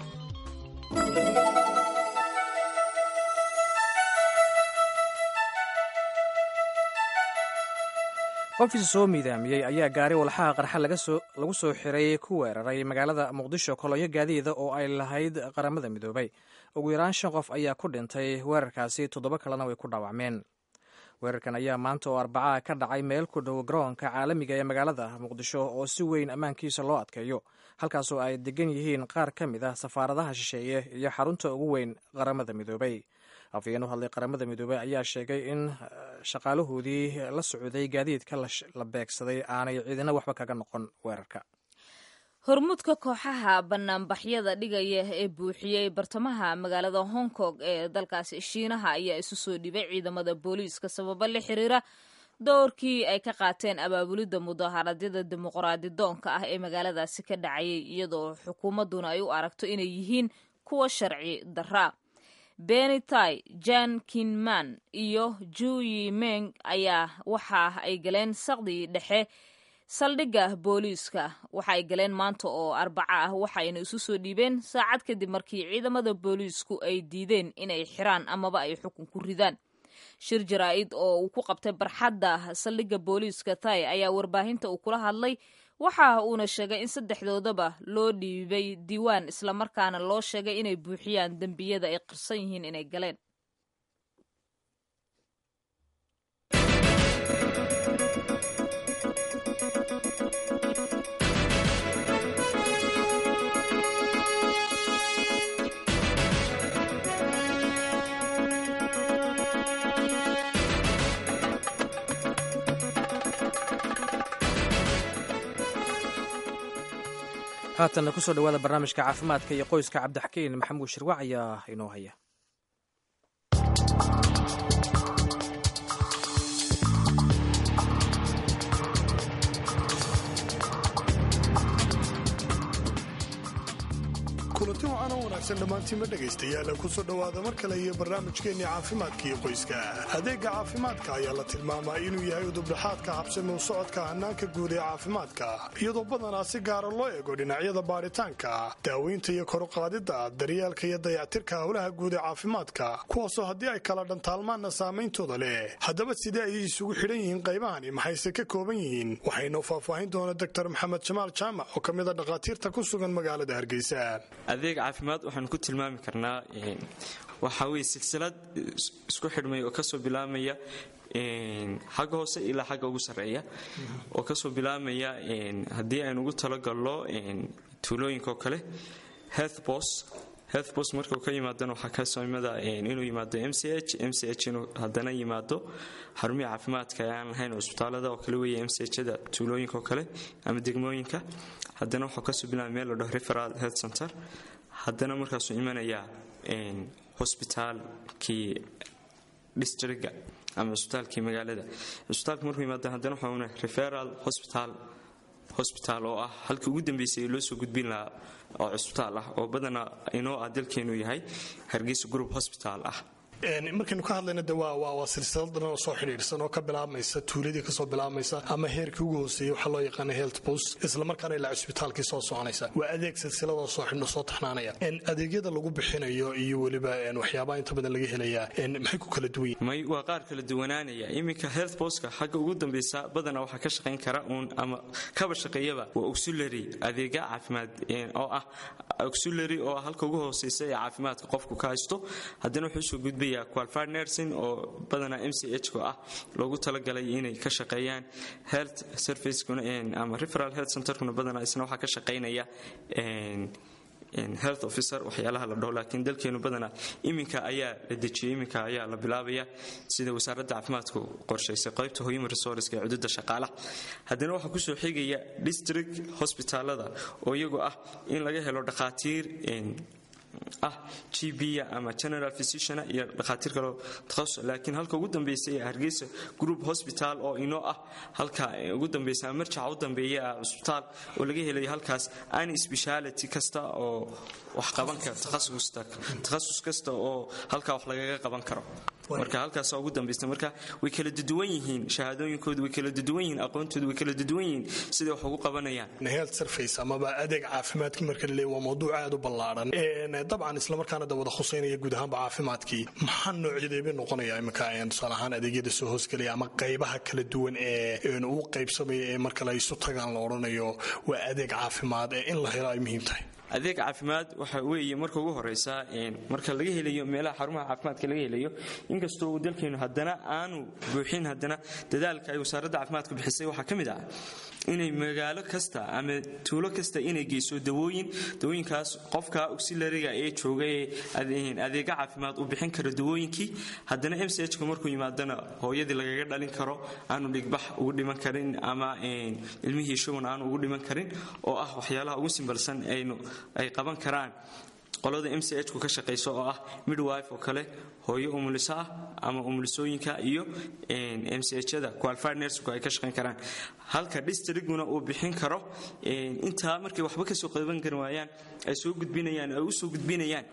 Qofkii soo miidaamiyey ayaa gaari walxaha qarxa lagu soo xiray ku weeraray magaalada Muqdisho kolonyo gaadiida oo ay lahayd Qaramada Midoobay. Ugu yaraan shan qof ayaa ku dhintay weerarkaasi, toddoba kalena way ku dhaawacmeen. Weerarkan ayaa maanta oo Arbacaa ka dhacay meel ku dhow garoonka caalamiga ee magaalada Muqdisho oo si weyn ammaankiisa loo adkeeyo, halkaasoo ay degan yihiin qaar ka mid ah safaaradaha shisheeye iyo xarunta ugu weyn Qaramada Midoobay. Afhayeen u hadlay Qaramada Midoobey ayaa sheegay in shaqaalahoodii la socday gaadiidka la beegsaday aanay ciidina waxba kaga noqon weerarka. Hormuudka kooxaha banaanbaxyada dhigaya ee buuxiyey bartamaha magaalada Hong Kong ee dalkaasi Shiinaha ayaa isu soo dhibay ciidamada booliiska sababo la xiriira doorkii ay ka qaateen abaabulidda mudaaharaadyada dimuqraadi doonka ah ee magaaladaasi ka dhacayay, iyadoo xukuumadduna ay u aragto inay yihiin kuwa sharci darra. Benitai, Jan Kinman iyo Juyi Meng ayaa waxa ay galeen saqdii dhexe saldhigga booliiska. Waxa ay galeen maanta oo Arbaca ah, waxayna isu soo dhiibeen saacad kadib markii ciidamada booliisku ay diideen inay xiraan amaba ay xukun ku ridaan. Shir jaraa'id oo uu ku qabtay barxadda saldhigga booliiska Tai ayaa warbaahinta uu kula hadlay, waxa uuna sheegay in saddexdoodaba loo dhiibay diiwaan, islamarkaana loo sheegay inay buuxiyaan dembiyada ay qirsan yihiin inay galeen. Haatanna kusoo dhawaada barnaamijka caafimaadka iyo qoyska. Cabdixakiin Maxamuud Shirwac ayaa inoo haya. Kulanti wacan oo wanaagsan dhammaantiinma dhegaystayaal, kusoo dhowaada mar kale iyo barnaamijkeenni caafimaadka iyo qoyska. Adeegga caafimaadka ayaa la tilmaamaa inuu yahay udubdhaxaadka habsami u socodka hannaanka guud ee caafimaadka, iyadoo badanaa si gaara loo eego dhinacyada baadhitaanka, daaweynta iyo koruqaadidda daryeelka iyo dayactirka howlaha guud ee caafimaadka, kuwaasoo haddii ay kala dhantaalmaanna saameyntooda leh. Haddaba sidee ayay isugu xidhan yihiin qaybahani, maxayse ka kooban yihiin? Waxaynoo faahfaahin doona Doctor Maxamed Jamaal Jaamac oo ka mid a dhakhaatiirta ku sugan magaalada Hargeysa. Adeeg caafimaad waxaanu ku tilmaami karnaa waxaa weye silsilad isku xidhmay oo kasoo bilaabmaya xagga hoose ilaa xagga ugu sarreeya, oo kasoo bilaabmaya haddii aynu ugu talagallo tuulooyinka oo kale healthbos. Healthbos markuu ka yimaadana waxaa kasoo imada inuu yimaado MCH, MCH inuu haddana yimaado xarumihii caafimaadka ee aan lahayn cusbitaalada oo kale weeye MCH-da tuulooyinka oo kale ama degmooyinka. Haddana waxuu kasoo bilaabay meel la dhaho referal health center, haddana markaasuu imanayaa hosbitaalkii districga ama cusbitaalkii magaalada. Cusbitaalka markuu yimaado haddana waxaa una referal hospital Hospital oo ah halkii ugu dambeysay ee loo soo gudbin lahaa oo cusbitaal ah, oo badanaa inoo ah dalkeenu yahay Hargeysa Group Hospital ah. Markaynu ka hadlayna de waa silsilad dhan oo soo xidhiidhsan oo ka bilaabmaysa tuuladii, kasoo bilaabmaysa ama heerkii ugu hooseeyey waxaa loo yaqaana health post, islamarkaana ilaa cusbitaalkii soo soconaysa. Waa adeeg silsiladoo soo xidhno soo taxnaanaya. Adeegyada lagu bixinayo iyo weliba waxyaabaha inta badan laga helayaa maxay ku kala duwan yihiin? May, waa qaar kala duwanaanaya. Iminka health postka xagga ugu dambeysa badanaa waxaa ka shaqayn kara uun ama kaba shaqeeyaba waa auxiliary, adeega caafimaad oo ah auxiliary, oo ah halka ugu hooseysa ee caafimaadka qofku ka haysto. Haddana wuxuu soo gudbaya qualified nursing oo badanaa MCH ko ah loogu talagalay inay ka shaqeeyaan health servicekuna ama referral health centerkuna. Badanaa isna waxaa ka shaqeynaya health officer waxyaalaha la dhaho. Laakiin dalkeenu badanaa iminka ayaa la dejiyey, iminka ayaa la bilaabaya sida wasaaradda caafimaadku qorshaysay qaybta human resource ee cududa shaqaalaha. Haddana waxaa kusoo xigaya district hospitaalada oo iyagu ah in laga helo dhakhaatiir ah GP ama general physician iyo dhakhaatiir kaloo takhasus. Laakiin halka ugu dambeysay ee Hargeysa Group Hospital oo inoo ah halka ugu dambeysa, marjaca u dambeeya ah cusbitaal oo laga helayo halkaas any speciality kasta oo wax qaban kara, takhasus kasta oo halkaa wax lagaga qaban karo. Marka halkaasa ugu dambaysta. Marka way kala duwan yihiin shahaadooyinkoodu, way kala duwan yihiin aqoontoodu, way kala duwan yihiin siday wax ugu qabanayaan. Health service amaba adeeg caafimaadkii marka la leeyahay waa mawduuc aad u ballaaran dabcan, islamarkaana da wada khuseynaya guud ahaanba caafimaadkii. Maxaa noocyadeebay noqonaya iminka, tusaale ahaan, adeegyada soo hoosgelaya ama qaybaha kala duwan ee uu qaybsamaya ee marka la isu tagaan la odhanayo waa adeeg caafimaad ee in la helo ay muhiim tahay? Adeeg caafimaad waxa weeye marka ugu horeysa marka laga helayo meelaha xarumaha caafimaadka laga helayo. Inkastoo uu dalkeenu haddana aanu buuxin, haddana dadaalka ay wasaaradda caafimaadku bixisay waxaa ka mid ah inay magaalo kasta ama tuulo kasta inay geyso dawooyin. Dawooyinkaas qofka auxiliaryga ee jooga ee adeega caafimaad uu bixin karo dawooyinkii. Haddana MCH-ka markuu yimaadana hooyadii lagaga dhalin karo, aanu dhigbax ugu dhiman karin ama ilmihii shuban aanu ugu dhiman karin, oo ah waxyaalaha ugu simbalsan aynu ay qaban karaan qolada MCH ku ka shaqayso, oo ah midwife oo kale, hooyo umuliso ah ama umulisooyinka iyo MCH-da qualified nurse ay ka shaqayn karaan. Halka districtguna uu bixin karo intaa markay waxba kasoo qaban kari waayaan ay soo gudbinayaan, ay u soo gudbinayaan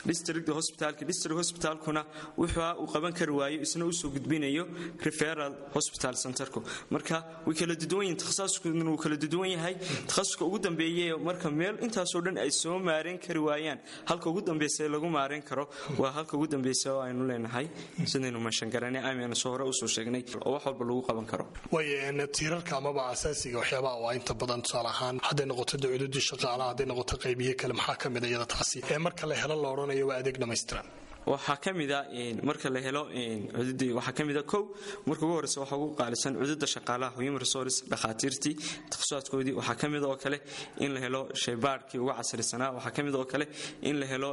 district hospitalka. District hospitalkuna wuxuu uu qaban kari waayo isna usoo gudbinayo referral hospital centerku. Marka way kala duwan yihiin, takhasuskuna wuu kala duwan yahay. Takhasuska ugu dambeeye marka meel intaasoo dhan ay soo maareen kari waayaan, halka ugu dambeysa lagu maareen karo waa halka ugu dambeysa oo aynu leenahay sidaynu meeshan garanay aynu soo hore usoo sheegnay oo wax walba lagu qaban karo. Way tiirarka amaba asaasiga waxyaabaha waa inta badan, tusaale ahaan, hadday noqoto dacududii shaqaalaha, hadday noqoto qaybiye kale, maxaa ka mid iyada taasi ee marka la helo la odhanayo waa adeeg dhammaystiran? Waxaa ka mida marka la helo cududii, waxaa ka mida kow, marka ugu horeysa waxaa ugu qaalisan cududa shaqaalaha, human resource, dhakhaatiirtii takhasusaadkoodii. Waxaa ka mid oo kale in la helo shaybaadhkii ugu casrisanaa. Waxaa ka mid oo kale in la helo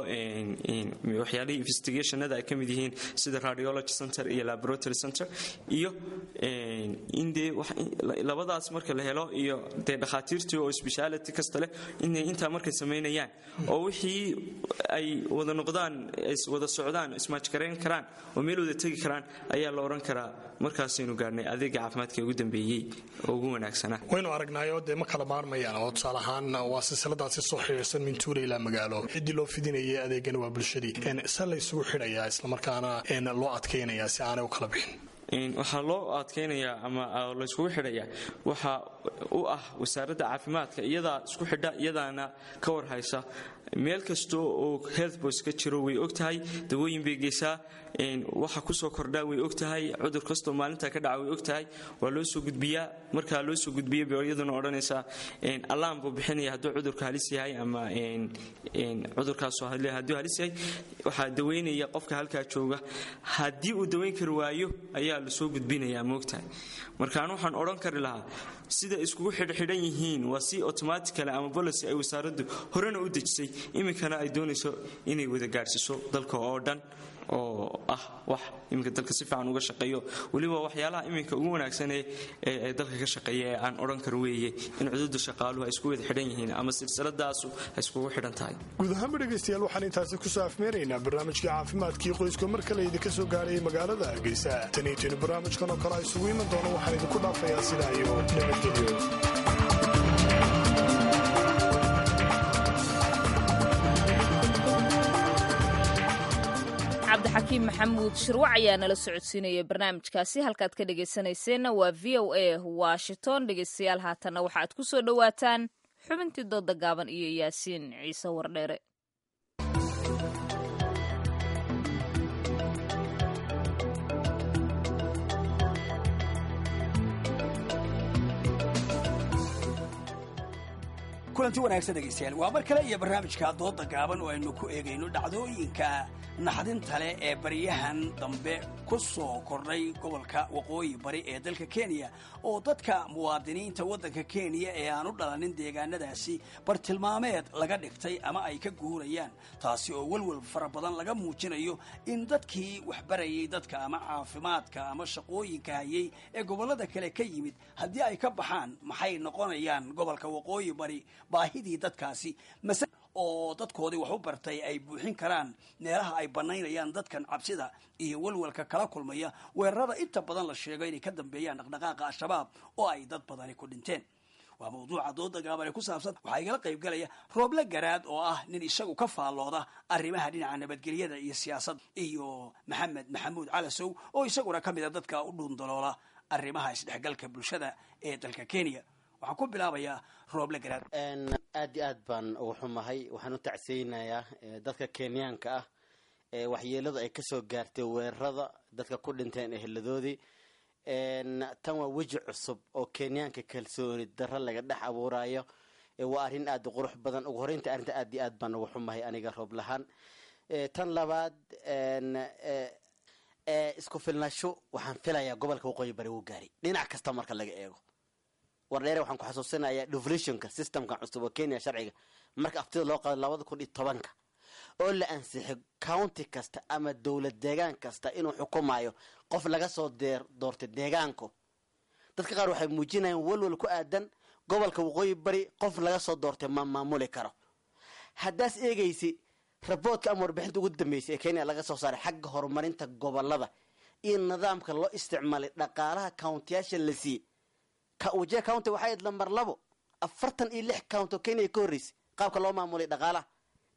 waxyaalihii investigationada ay ka mid yihiin sida radiology center iyo laboratory center iyo in dee labadaas marka la helo iyo dee dhakhaatiirtii oo speciality kasta leh inay intaa markay samaynayaan oo wixii ay wada noqdaan, wada socdaan, ismaajgarayn karaan oo meel wada tegi karaan, ayaa la odhan karaa markaasaynu gaarnay adeega caafimaadka ugu dambeeyey oo ugu wanaagsanaa. Waynu aragnaayo dee ma kala maarmayaan oo tusaale ahaan waa silsiladaasi soo xidhiirsan min tuula ilaa magaalo. Ciddii loo fidinayay adeegana waa bulshadii. Se la isugu xidhayaa islamarkaana loo adkaynayaa si aanay u kala bixin? Waxaa loo adkaynayaa ama layskugu xidhayaa waxa u ah wasaaradda caafimaadka, iyadaa isku xidha, iyadaana ka warhaysa meel kasta oo health post ka jiro. Way og tahay, dawooyin bay geysaa, waxa kusoo kordhaa way og tahay, cudur kastoo maalinta ka dhaca way og tahay. Waa loo soo gudbiyaa. Markaa loo soo gudbiya bay iyaduna odhanaysaa alarm buu bixinaya hadduu cudurka halis yahay ama cudurkaasoo hadduu halis yahay waxaa daweynaya qofka halkaa jooga. Haddii uu daweyn kari waayo ayaa lasoo gudbinayaa, moogtahay. Marka anu waxaan odhan kari lahaa sida iskugu xidhxidhan yihiin waa si automatically ama policy ay wasaaraddu horena u dejisay, iminkana ay doonayso inay wada gaadhsiiso dalka oo dhan. oo ah wax iminka dalka si fiican uga shaqeeyo, weliba waxyaalaha iminka ugu wanaagsan ee dalka ka shaqeeya ee aan odhan karo weeye in cududa shaqaaluhu ay isku wada xidhan yihiin ama silsiladaasu ay iskugu xidhan tahay. Guud ahaanba dhegaystayaal, waxaan intaasi kusoo afmeeraynaa barnaamijkii caafimaadkii qoyska mar kale idinka soo gaarayay magaalada Hargeysa. Tan iyo tinu barnaamijkan oo kale a isugu iman doono, waxaan idinku dhaafayaa sidaa iyo nabadgelyo. Cabdixakiim Maxamuud Shirwac ayaa nala socodsiinaya barnaamijkaasi. Halkaad ka dhegaysanayseena waa VOA Washington. Dhegaystayaal, haatanna waxaad ku soo dhowaataan xubintii dooda gaaban iyo Yaasiin Ciise Wardheere. Kulanti wanaagsan dhegaystayaal, waa mar kale iyo barnaamijka dooda gaaban oo aynu ku eegayno dhacdooyinka naxdinta leh ee baryahan dambe ku soo kordhay gobolka waqooyi bari ee dalka Kenya, oo dadka muwaadiniinta waddanka Kenya ee aan u dhalanin deegaanadaasi bartilmaameed laga dhigtay ama ay ka guurayaan, taasi oo welwel fara badan laga muujinayo in dadkii waxbarayay dadka ama caafimaadka ama shaqooyinka hayay ee gobollada kale ka yimid haddii ay ka baxaan, maxay noqonayaan gobolka waqooyi bari baahidii dadkaasi mase oo dadkoodii wax u bartay ay buuxin karaan meelaha ay bannaynayaan dadkan cabsida iyo walwalka kala kulmaya weerarada inta badan la sheego inay ka dambeeyaan dhaqdhaqaaqa Al-Shabaab oo ay dad badani ku dhinteen. Waa mawduuca dooda gaaban ee ku saabsan. Waxaa igala qayb galaya Rooble Garaad oo ah nin isagu ka faallooda arrimaha dhinaca nabadgelyada iyo siyaasadda, iyo Maxamed Maxamuud Calasow oo isaguna ka mid a dadka u dhuundaloola arrimaha isdhexgalka bulshada ee dalka Kenya. Waxaan ku bilaabayaa Rooble Garaad. Aad iyo aad baan ugu xumahay. Waxaan u tacseynayaa dadka Kenyaanka ah ee waxyeelada ay kasoo gaartay weerarada, dadka ku dhinteen eheladoodii. Tan waa weji cusub oo Kenyaanka kalsooni darro laga dhex abuurayo. Waa arrin aad u qurux badan. Ugu horeynta arrinta aad iyo aad baan ugu xumahay aniga roob lahaan. Tan labaad, isku filnaasho waxaan filayaa gobolka waqooyi bari wuu gaaray dhinac kasta marka laga eego. Wardheere, waxaan ku xasuusinayaa devolutionka systemkan cusub oo Kenya sharciga marka aftida loo qaado 2010-ka oo la ansixay, county kasta ama dowlad deegaan kasta inuu xukumayo qof laga soo doortay deegaanku. Dadka qaar waxay muujinayaan walwal ku aadan gobolka waqooyi bari qof laga soo doortay ma maamuli karo. Haddaas eegaysi raboodka ama warbixinta ugu dambeysay ee Kenya laga soo saaray xagga horumarinta gobolada iyo nidaamka loo isticmaalay dhaqaalaha countiyaasha la siiyey, Wajir County waxay ahayd lambar 2, 46 county oo Kenya ka horreysay qaabka loo maamulay dhaqaalaha.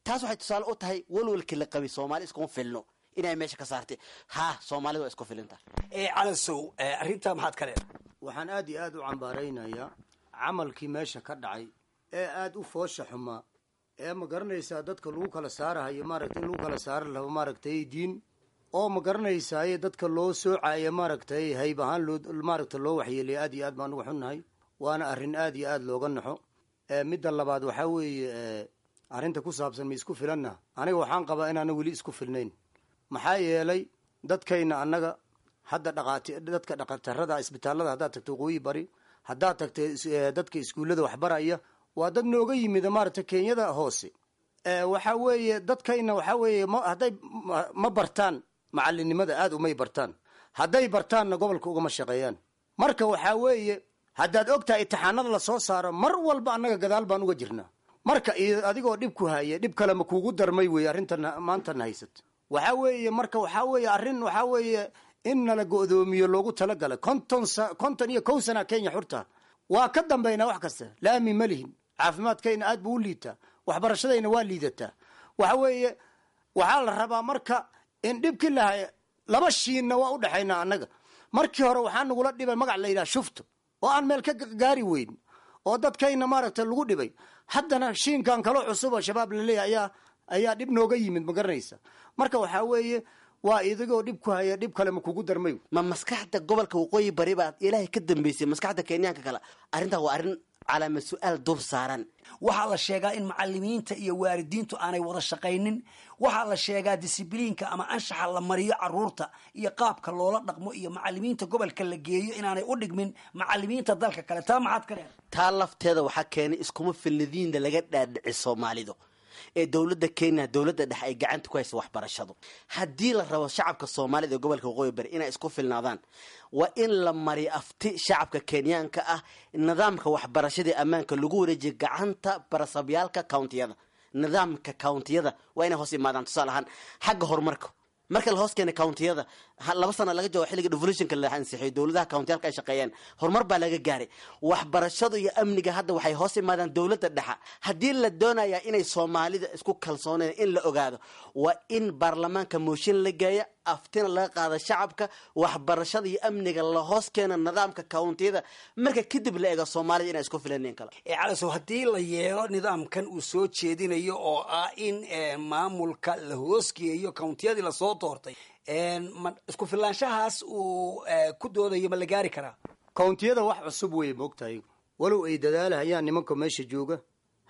Taas waxay tusaale u tahay walwalkii la qabay Soomaali iskuma filno inay meesha ka saartay. Ha, Soomaalida waa isku filinta. Calasow, arrintaa maxaad ka leedahay? Waxaan aad iyo aad u cambaaraynayaa camalkii meesha ka dhacay ee aada u foosha xumaa ee ma garanaysaa dadka lagu kala saarahayo, maaragtay, in lagu kala saari labo, maaragtay, diin oo ma garanaysaaye dadka loo soocaayo, maaragtay, hayb ahaan loo, maaragtay, loo waxyeelaya. Aad iyo aad baan uga xunnahay, waana arrin aad iyo aad looga naxo. Midda labaad waxaa weeye arrinta ku saabsan ma isku filanna. Aniga waxaan qabaa inaana weli isku filnayn, maxaa yeelay dadkayna annaga hadda dhaqaati dadka dhaqatarada isbitaalada haddaad tagto waqooyi bari, haddaad tagto dadka iskuullada waxbaraya, waa dad nooga yimid, maaragtay, Kenyada hoose. Waxaa weeye dadkayna waxaa weeye hadday ma bartaan macalinimada, aada umay bartaan. Hadday bartaanna gobolka ugama shaqeeyaan. Marka waxaa weeye haddaad ogtahay imtixaanada lasoo saaro mar walba annaga gadaal baan uga jirnaa. Marka adigoo dhib ku haya dhib kale ma kuugu darmay weeye arrintan maantana haysato. Waxaa weeye marka waxaa weeye arrin waxaa weeye in nala go'doomiyo loogu talagalay. 51 sana Kenya xurta, waa ka dambaynaa wax kasta. Laami ma lihin, caafimaadkayna aad buu u liitaa, waxbarashadayna waa liidataa. Waxa weeye waxaa la rabaa marka in dhibkii lahay laba shiinna waa u dhexaynaa annaga. Markii hore waxaa nagula dhibay magac la yidhaha shufto oo aan meel ka gaari weyn oo dadkayna, maaragtay, lagu dhibay. Haddana shiinkan kaloo cusub oo Shabaab laleeyahay ayaa dhib nooga yimid, ma garanaysa. Marka waxaa weeye waa idigoo dhib ku haya dhib kale ma kugu darmay. Ma maskaxda gobolka waqooyi bari baa Ilaahay ka dambeysay maskaxda Kenyaanka kale? Arrintaa waa arrin calaama su-aal dul saaran. Waxaa la sheegaa in macalimiinta iyo waalidiintu aanay wada shaqaynin. Waxaa la sheegaa disibliinka ama anshaxa la mariyo caruurta iyo qaabka loola dhaqmo iyo macalimiinta gobolka la geeyo inaanay u dhigmin macalimiinta dalka kale. Taa maxaad ka leedahay? Taa lafteeda waxaa keenay iskuma filnidiinda laga dhaadhici Soomaalidu. Ee dowladda Kenya, dowladda dhexe ay gacanta ku haysa waxbarashadu. Haddii la rabo shacabka Soomaalida ee gobolka Waqooyi Bari inay isku filnaadaan, waa in la mariyo afti shacabka Kenyaanka ah, nidaamka waxbarashada ee ammaanka lagu wareejiyo gacanta barasabyaalka countiyada. Nidaamka countiyada waa inay hoos imaadaan. Tusaale ahaan, xagga horumarka marka la hoos keenay countiyada, 2 sano laga joogo xilliga devolutionka la ansixiyo, dowladaha countiyalka ay shaqeeyeen, horumar baa laga gaaray. Waxbarashadu iyo amniga hadda waxay hoos imaadaan dowladda dhexa. Haddii la doonaya inay Soomaalida isku kalsooneen in la ogaado, waa in baarlamaanka mooshin la geeya, aftina laga qaada shacabka, waxbarashada iyo amniga la hoos keena nidaamka countiyada. Marka kadib la eego Soomaalida inay isku filaneen kale. Calasow, haddii la yeelo nidaamkan uu soo jeedinayo oo ah in maamulka la hoosgeeyo countiyadii lasoo doortay, ma isku filaanshahaas uu ku doodayo ma la gaari karaa? Countiyada wax cusub wey, moogtahay, walow ay dadaalahayaan nimanka meesha jooga,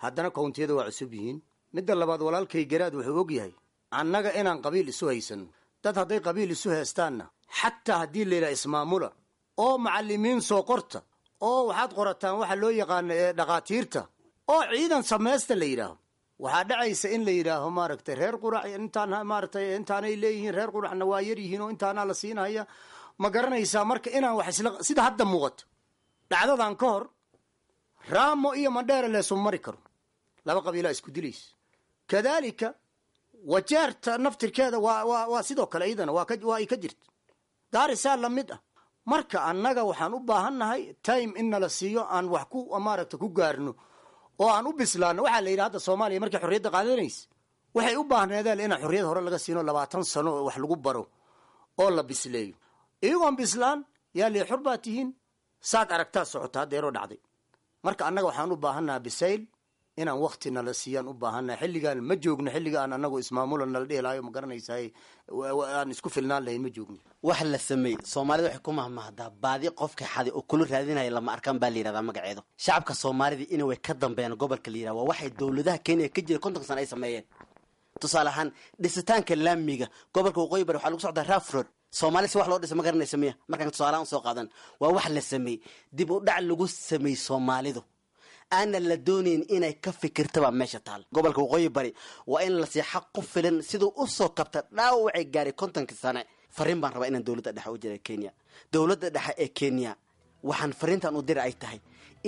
haddana countiyada waa cusub yihiin. Midda labaad, walaalkay Garaad wuxuu og yahay annaga inaan qabiil isu haysano. Dad hadday qabiil isu heestaanna, xataa haddii layidhaha ismaamula oo macallimiin soo qorta oo waxaad qorataan waxa loo yaqaano ee dhakhaatiirta oo ciidan samaysta la yidhaaho, waxaa dhacaysa in la yidhaaho, maaragtay, reer Qurac intaan, maaragtay, intaanay leeyihiin, reer Quracna waa yar yihiin oo intaanaa la siinaya. Ma garanaysaa? Marka inaan wax isla sida hadda muuqato dhacdadan ka hor, Raamo iyo Mandheera leesuma mari karo, laba qabiilaa isku dilaysa. Kadaalika Wajeerta naftirkeeda waa sidoo kale, iyadana waa ay ka jirta. Gaarisaa la mid ah. Marka annaga waxaan u baahannahay time in nala siiyo aan wax ku, maaragta, ku gaarno oo aan u bislaano. Waxaa la yidhi hadda Soomaaliya markay xorriyadda qaadanaysa waxay u baahneedeen inaan xorriyad hore laga siino 20 sano oo wax lagu baro oo la bisleeyo. Iyagoon bislaan yaa lii xor baa tihiin, saad aragtaa socota haddeeroo dhacday. Marka annaga waxaan u baahannaha bisayl, inaan wakti nala siiyaan u baahannaha. Xilligaan ma joogno xilliga aan anagu ismaamula nala dhihi lahayo, ma garanaysaay, aan isku filnaan lahayn ma joogno. Wax la sameeyey, Soomaalida waxay ku mahmahdaa baadi qofka xaday oo kula raadinaya lama arkaan baa la yidhahdaa magaceedu. Shacabka Soomaalida in way ka dambeeyaan gobolka la yidhahda waa waxay dowladaha Kenya ka jira 50 sano ay sameeyeen. Tusaale ahaan, dhisitaanka laamiga gobolka Waqooyi Bari waxaa lagu socdaa rough road. Soomaali si wax loo dhisa ma garanaysa miya? Markaan tusaalahaan usoo qaadan, waa wax la sameeyey, dib u dhac lagu sameeyey, Soomaalidu aana la doonayn inay ka fikirtaba meesha taal. Gobolka Waqooyi Bari waa in la sii xaq ku filan siduu usoo kabta dhaawacay gaaray 50-kii sane. Fariin baan rabaa inaan dowladda dhexe u jira Kenya, dowladda dhexe ee Kenya, waxaan fariintan u dira ay tahay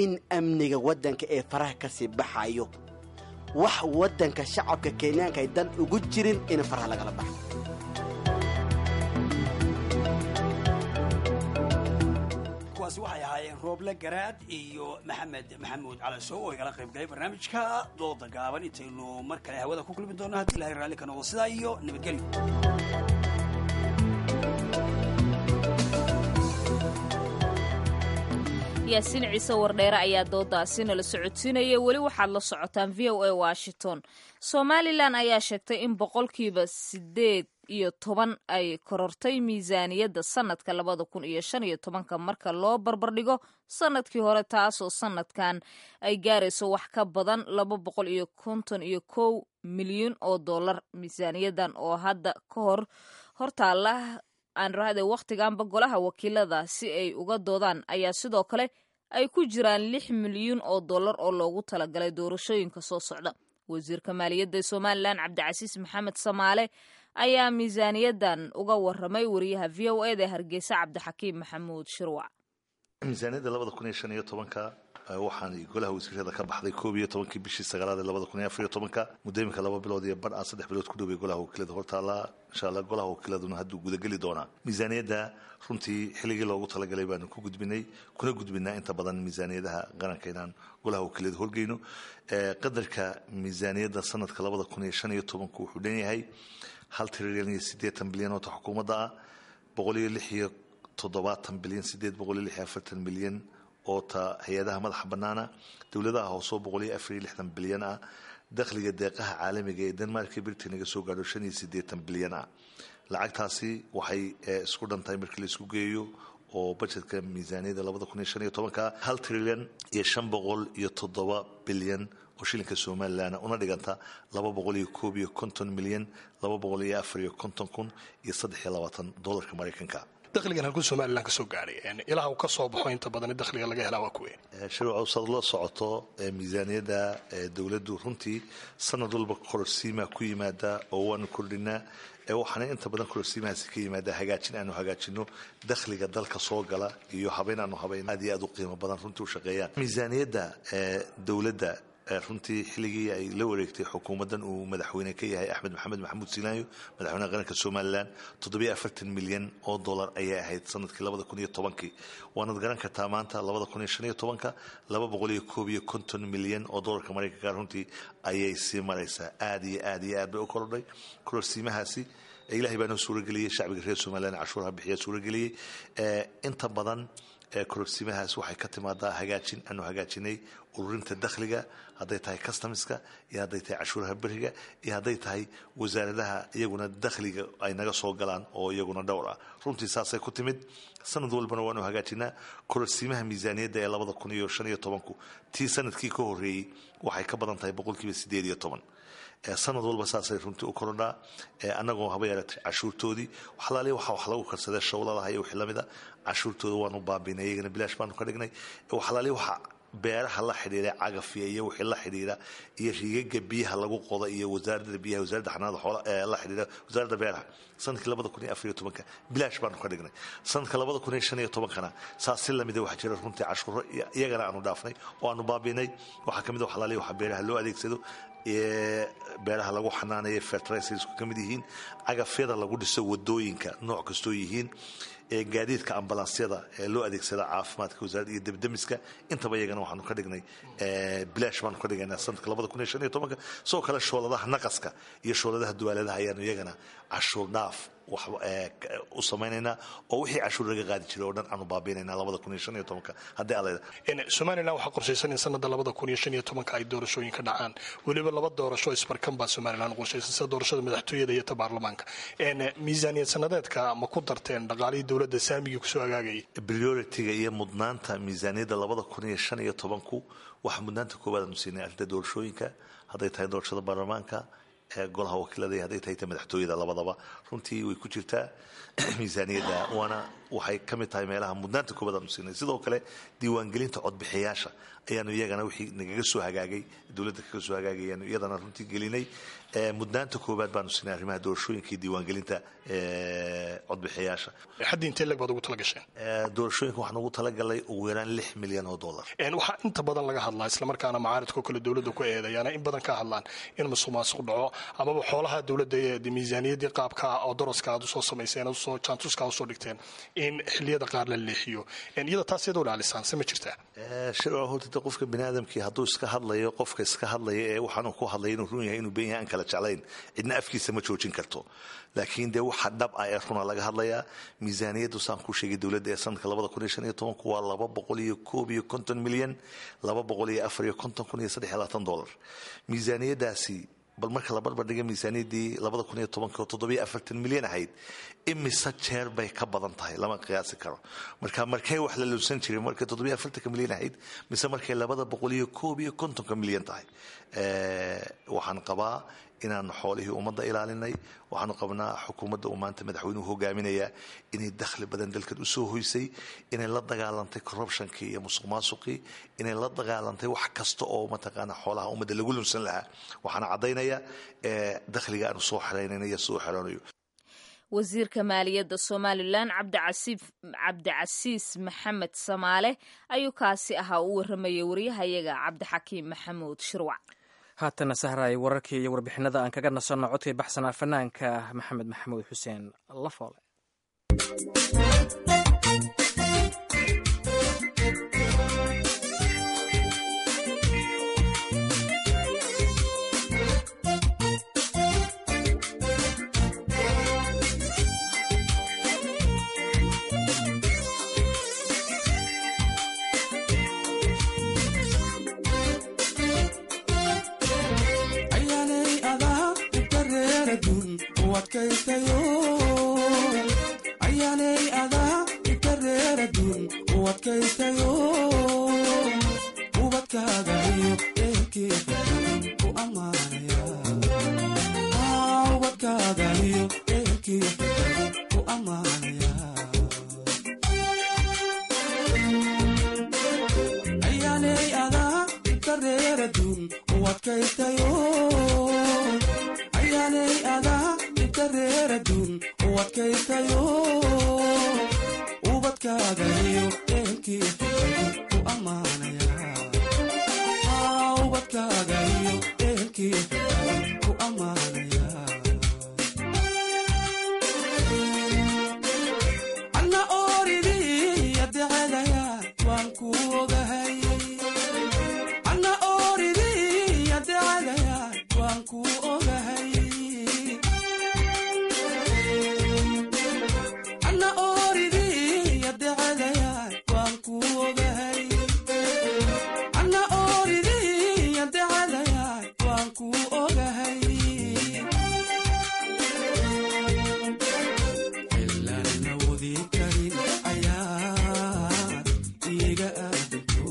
in amniga waddanka ee faraha kasii baxayo, wax waddanka shacabka Kenyaanka ay dan ugu jirin in faraha lagala baxo. Kuwaasi waxay ahaayeen Rooble Garaad iyo Maxamed Maxamuud Calasow oo igala qayb galay barnaamijka dooda gaaban. Intaynu mar kale hawada ku kulmi doono, haddii Ilahay raalli ka noqdo, sidaa iyo nabadgelyo. Yaasiin Ciise Wardheere ayaa doodaasi nala socodsiinaya. Weli waxaad la socotaan VOA Washington. Somalilan ayaa sheegtay in 18% ay korortay miisaaniyadda sanadka 2015-ka marka loo barbardhigo sanadkii hore, taasoo sanadkan ay gaarayso wax ka badan 251 milyan oo dollar. Miisaaniyadan oo hadda ka hor hortaala aan rahde wakhtiganba golaha wakiilada si ay uga doodaan ayaa sidoo kale ay ku jiraan 6 milyuun oo dollar oo loogu talagalay doorashooyinka soo socda. Wasiirka maaliyadda ee Somalilan, Cabdicasiis Maxamed Samaale, ayaa miisaaniyadan uga waramay wariyaha VOA da Hargeysa, Cabdixakiim Maxamuud Shirwac. Miisaaniyadda 2015-ka waxaan golaha wasiirada ka baxday 11-kii bishii sagaalaad ee 2014-ka. Muddo iminka 2 bilood iyo badh aan 3 bilood ku dhowbay golaha wakiilada hortaala. Insha Allah golaha wakiiladuna hadduu gudageli doonaa. Miisaaniyadda runtii xilligii loogu talagalay baanu ku gudbinay, kuna gudbinaa inta badan miisaaniyadaha qaranka inaan golaha wakiilada horgeyno. Qadarka miisaaniyadda sanadka 2015-ku wuxuu dhan yahay 1 trilyan iyo 80 bilyan oo ta xukuumadda ah, 176 bilyan 846 milyan oo ta hay-adaha madaxa bannaana, dowladaha hoosoo 164 bilyan ah, dakhliga deeqaha caalamiga ee Denmark iyo Britain naga soo gaadho 85 bilyan ah. Lacagtaasi waxay isku dhantahay markii la isku geeyo oo budgetka miisaaniyadda 2015-ka 1 trilyan iyo 507 bilyan oo shilinka Somalilan, una dhiganta 251 milyan 254,023 doolarka Maraykanka. Dakhligan halkuu Somalilan ka soo gaadhay, ilaha uu ka soo baxo inta badan dakhliga laga helaa waa kuwe? Shirwacow, saad la socoto miisaaniyadda dowladdu runtii sanad walba kororsiimaa ku yimaada oo waanu kordhinaa. Waxaana inta badan kororsiimahaasi ka yimaada hagaajin aanu hagaajino dakhliga dalka soo gala iyo habeyn aanu habeyn aad iyo aad u qiimo badan runtii u shaqeeyaan miisaaniyadda dowladda. Runtii xilligii ay la wareegtay xukuumaddan uu madaxweyne ka yahay Axmed Maxamed Maxamuud Silaanyo, madaxweynaha qaranka Somalilan, 47 milyan oo dollar ayay ahayd sanadkii 2010-kii. Waanad garan kartaa maanta 2015-ka 251 milyan oo dollarka Maraykanka runtii ayay sii maraysaa. Aad iyo aad iyo aad bay u korodhay kororsiimahaasi. Ilahay baa noo suurageliyey, shacbiga reer Somalilan cashuuraha bixiya suurageliyey. Inta badan kororsiimahaas waxay ka timaadaa hagaajin aanu hagaajinay ururinta dakhliga, hadday tahay customska iyo hadday tahay cashuuraha beriga iyo hadday tahay wasaaradaha iyaguna dakhliga ay naga soo galaan oo iyaguna dhowr ah. Runtii saasay ku timid, sanad walbana waanu hagaajinaa. Kororsiimaha miisaaniyadda ee 2015-ku tii sanadkii ka horreeyey waxay ka badan tahay 18%. Sanad walba saasay runtii u korodhaa, annagoo haba yareetay cashuurtoodii waxalaaliya waxa wax lagu karsadee shawladaha iyo wixii lamida cashuurtooda waanu baabinay, iyagana bilaash baanu ka dhignay. Waxalaaliya waxa beeraha la xidhiira, cagafya iyo wixii la xidhiira iyo riigaga biyaha lagu qoda iyo wasaaradda biyaha, wasaaradda xanaanada xoola la xidhiira, wasaaradda beeraha, sanadkii 2014-ka bilaash baanu ka dhignay. Sanadka 2015-kana saas si lamida waxaa jira runtii cashuuro iyagana aanu dhaafnay oo aanu baabinay. Waxaa kamid a waxalaaliya waxa beeraha loo adeegsado, beeraha lagu xanaanaya, fertilizers-ku ka mid yihiin, cagafyada lagu dhiso wadooyinka nooc kastoo yihiin, gaadiidka ambulansyada ee loo adeegsada caafimaadka wasaaradda iyo debdemiska, intaba iyagana waxaanu ka dhignay bilaash baanu ka dhigaynaa sanadka 2015-ka. Sidoo kale shooladaha naqaska iyo shooladaha duwaaladaha ayaanu iyagana cashuur dhaaf wax u samaynaynaa oo wixii cashuur laga qaadi jiray oo dhan aanu baabiinaynaa 2015-ka haddii Alla. Somalilan waxaa qorshaysan in sanada 2015-ka ay doorashooyin ka dhacaan, weliba laba doorasho isbarkan baa Somalilan qorshaysan, sida doorashada madaxtooyada iyo ta baarlamaanka. Miisaaniyad sanadeedka ma ku darteen dhaqaalihii dowladda saamigii kusoo hagaagayay? Priority-ga iyo mudnaanta miisaaniyadda 2015-ku waxaa mudnaanta koowaad aanu siinay arrinta doorashooyinka, hadday tahay doorashada baarlamaanka ee golaha wakiilada iyo hadday tahay ta madaxtooyada, labadaba runtii way ku jirtaa miisaaniyadda, waana waxay ka mid tahay meelaha mudnaanta koowaad aanu siinay. Sidoo kale diiwaangelinta codbixiyaasha ayaanu iyagana wixii nagaga soo hagaagay dowladda kaga soo hagaagay ayaanu iyadana runtii gelinay. Mudnaanta koowaad baanu siinay arrimaha doorashooyinka iyo diiwaangelinta codbixiyaasha. Xaddi intee leg baad ugu tala gasheen? Doorashooyinka waxaan ugu talagalay ugu yaraan $6 milyan. Waxaa inta badan laga hadlaa, islamarkaana macaaridka kale dowladda ku eedeeyaana in badan ka hadlaan in musuq maasuq dhaco amaba xoolaha dowladda ee miisaaniyaddii qaabka oo doroska aad usoo samayseen, usoo jaantuska usoo dhigteen, in xilliyada qaar la leexiyo. Iyada taas iyadoo ilaalisaan se ma jirtaa? Shirwa, horta qofka biniaadamkii hadduu iska hadlayo, qofka iska hadlaya ee waxaanuu ku hadlaya inuu run yahay inuu been yahay aan kala jeclayn, cidna afkiisa ma joojin karto. Laakiin dee waxa dhab ah ee runa laga hadlayaa. Miisaaniyaddu saan kuu sheegay dowladda ee sanadka 2015-ku waa 251 milyan 254,023 dollar. Miisaaniyaddaasi bal marka la barbar dhiga miisaaniyaddii 2010-ka oo 47 milyan ahayd, imise jeer bay ka badan tahay lama qiyaasi karo. Marka markay wax la lunsan jiray, markay 47-ka milyan ahayd mise markay 251-ka milyan tahay? Waxaan qabaa inaanu xoolihii ummadda ilaalinay. Waxaanu qabnaa xukuumadda uu maanta madaxweynuhu hogaaminayaa inay dakhli badan dalkan usoo hoysay, inay la dagaalantay corruption-kii iyo musuq maasuqii, inay la dagaalantay wax kasta oo mataqaana xoolaha ummadda lagu lunsan lahaa. Waxaana caddaynaya dakhliga aanu soo xeraynayna iyo soo xeroonayo. Wasiirka maaliyadda Somalilan Cabdicasiis Maxamed Samaale ayuu kaasi ahaa, u waramayay wariyahayaga Cabdixakiim Maxamuud Shirwac. Haatana sahray, wararkii iyo warbixinada aan kaga nasanno codkii baxsanaa fanaanka Maxamed Maxamuud Xuseen Lafoole. Ayaanay adaa ikareeradun u adkaystayo, ayaanay adaa ikareeradun u adkaystayo, ubadkaaga iyo ehelkii ku ammaanaya, ubadkaaga iyo ehelkii ku ammaanaya. Dhibta reer adduun u adkaystayo, ubadkaaga iyo ehelkii ku ammaanaya. Ubadkaaga iyo ehelkii ku ammaanaya. Anna ooridii adecelaya waan ku ogahay. Anna ooridii adecelaya waan ku ogahay. Anna ooridii adecelaya waan ku ogahay. Anna ooridii adecelaya waan ku ogahay. Ilaan awoodi karin ayaad iga aadanto,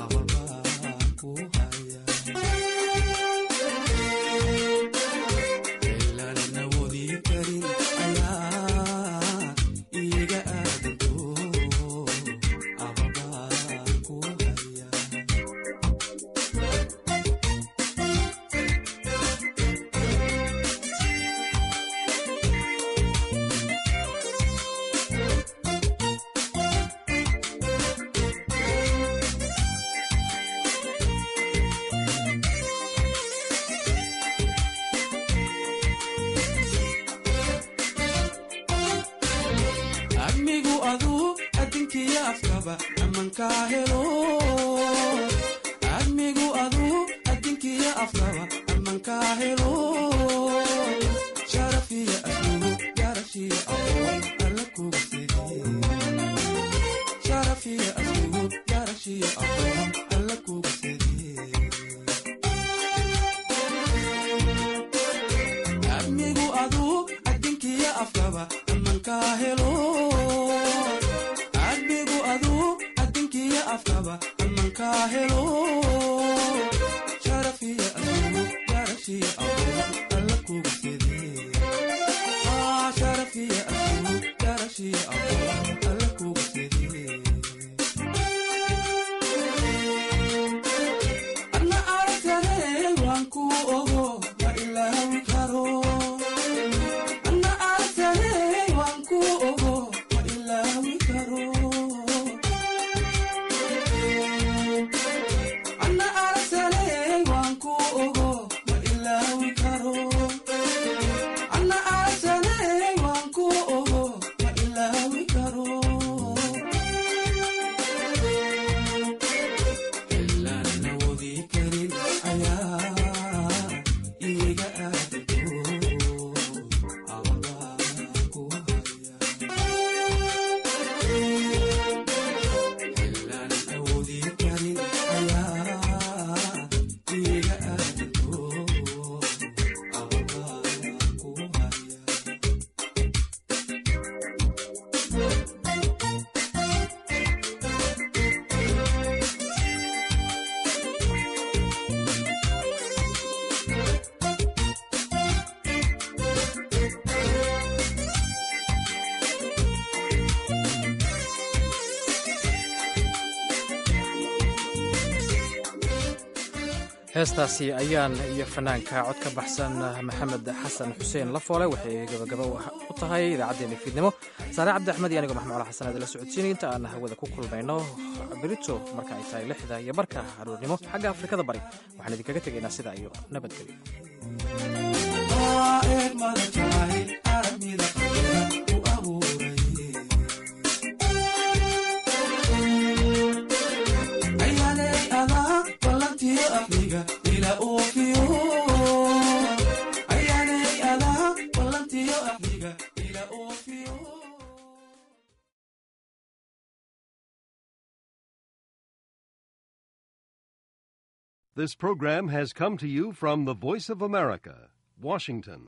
abalbaan ku haya. Ilaan awoodi karin ayaad iga aadanto, abalbaan ku haya. Admigu aduu adinkiyo afkaba amankaa helo. Admigu aduu adinkiyo afkaba amankaa helo. Sharafiya aslugu garashiya aqoon alla kuga sidiye. Sharafiya aslugu garashiya aqoon alla kuga sidiye. Admigu aduu adinkiyo afkaba amankaa helo. Admigu aduu adinkiyo afkaba amankaa helo. Sharafiya aslugu garashiya aqoon alla kuga sidiye. Sharafiya aslugu garashiya aqoon alla kuga sidiye. Anna aragtade waan ku ogo, ma ilaawi karo. Anna aragtade waan ku ogo, ma ilaawi karo. Anna aragtade waan ku ogo, ma ilaawi karo. Anna aragtade waan ku ogo, ma ilaawi karo. Ilaan awoodi karin ayaa iga aadanto, abalbaan ku haya. Ilaan awoodi karin ayaa iga aadanto, abalbaan ku haya. Heestaasi ayaan iyo fanaanka cod ka baxsan Maxamed Xasan Xuseen Lafoole waxay gabagaba u tahay idaacaddeenna fiidnimo. Saare Cabdi Axmed iyo anigoo Maxmuud Cala Xasan aad la socodsiinay inta aan hawada ku kulmayno berito marka ay tahay 6:30 aroornimo xagga Afrikada Bari, waxaan idinkaga tegaynaa sidaa iyo nabadgelyo. Eegmada jacayl aragmida qalbiga ku abuuray. Ayaaley adaa ballantiyo aqliga ila oofiyo. Ayaaley adaa ballantiyo aqliga ila oofiyo. This program has come to you from the Voice of America, Washington.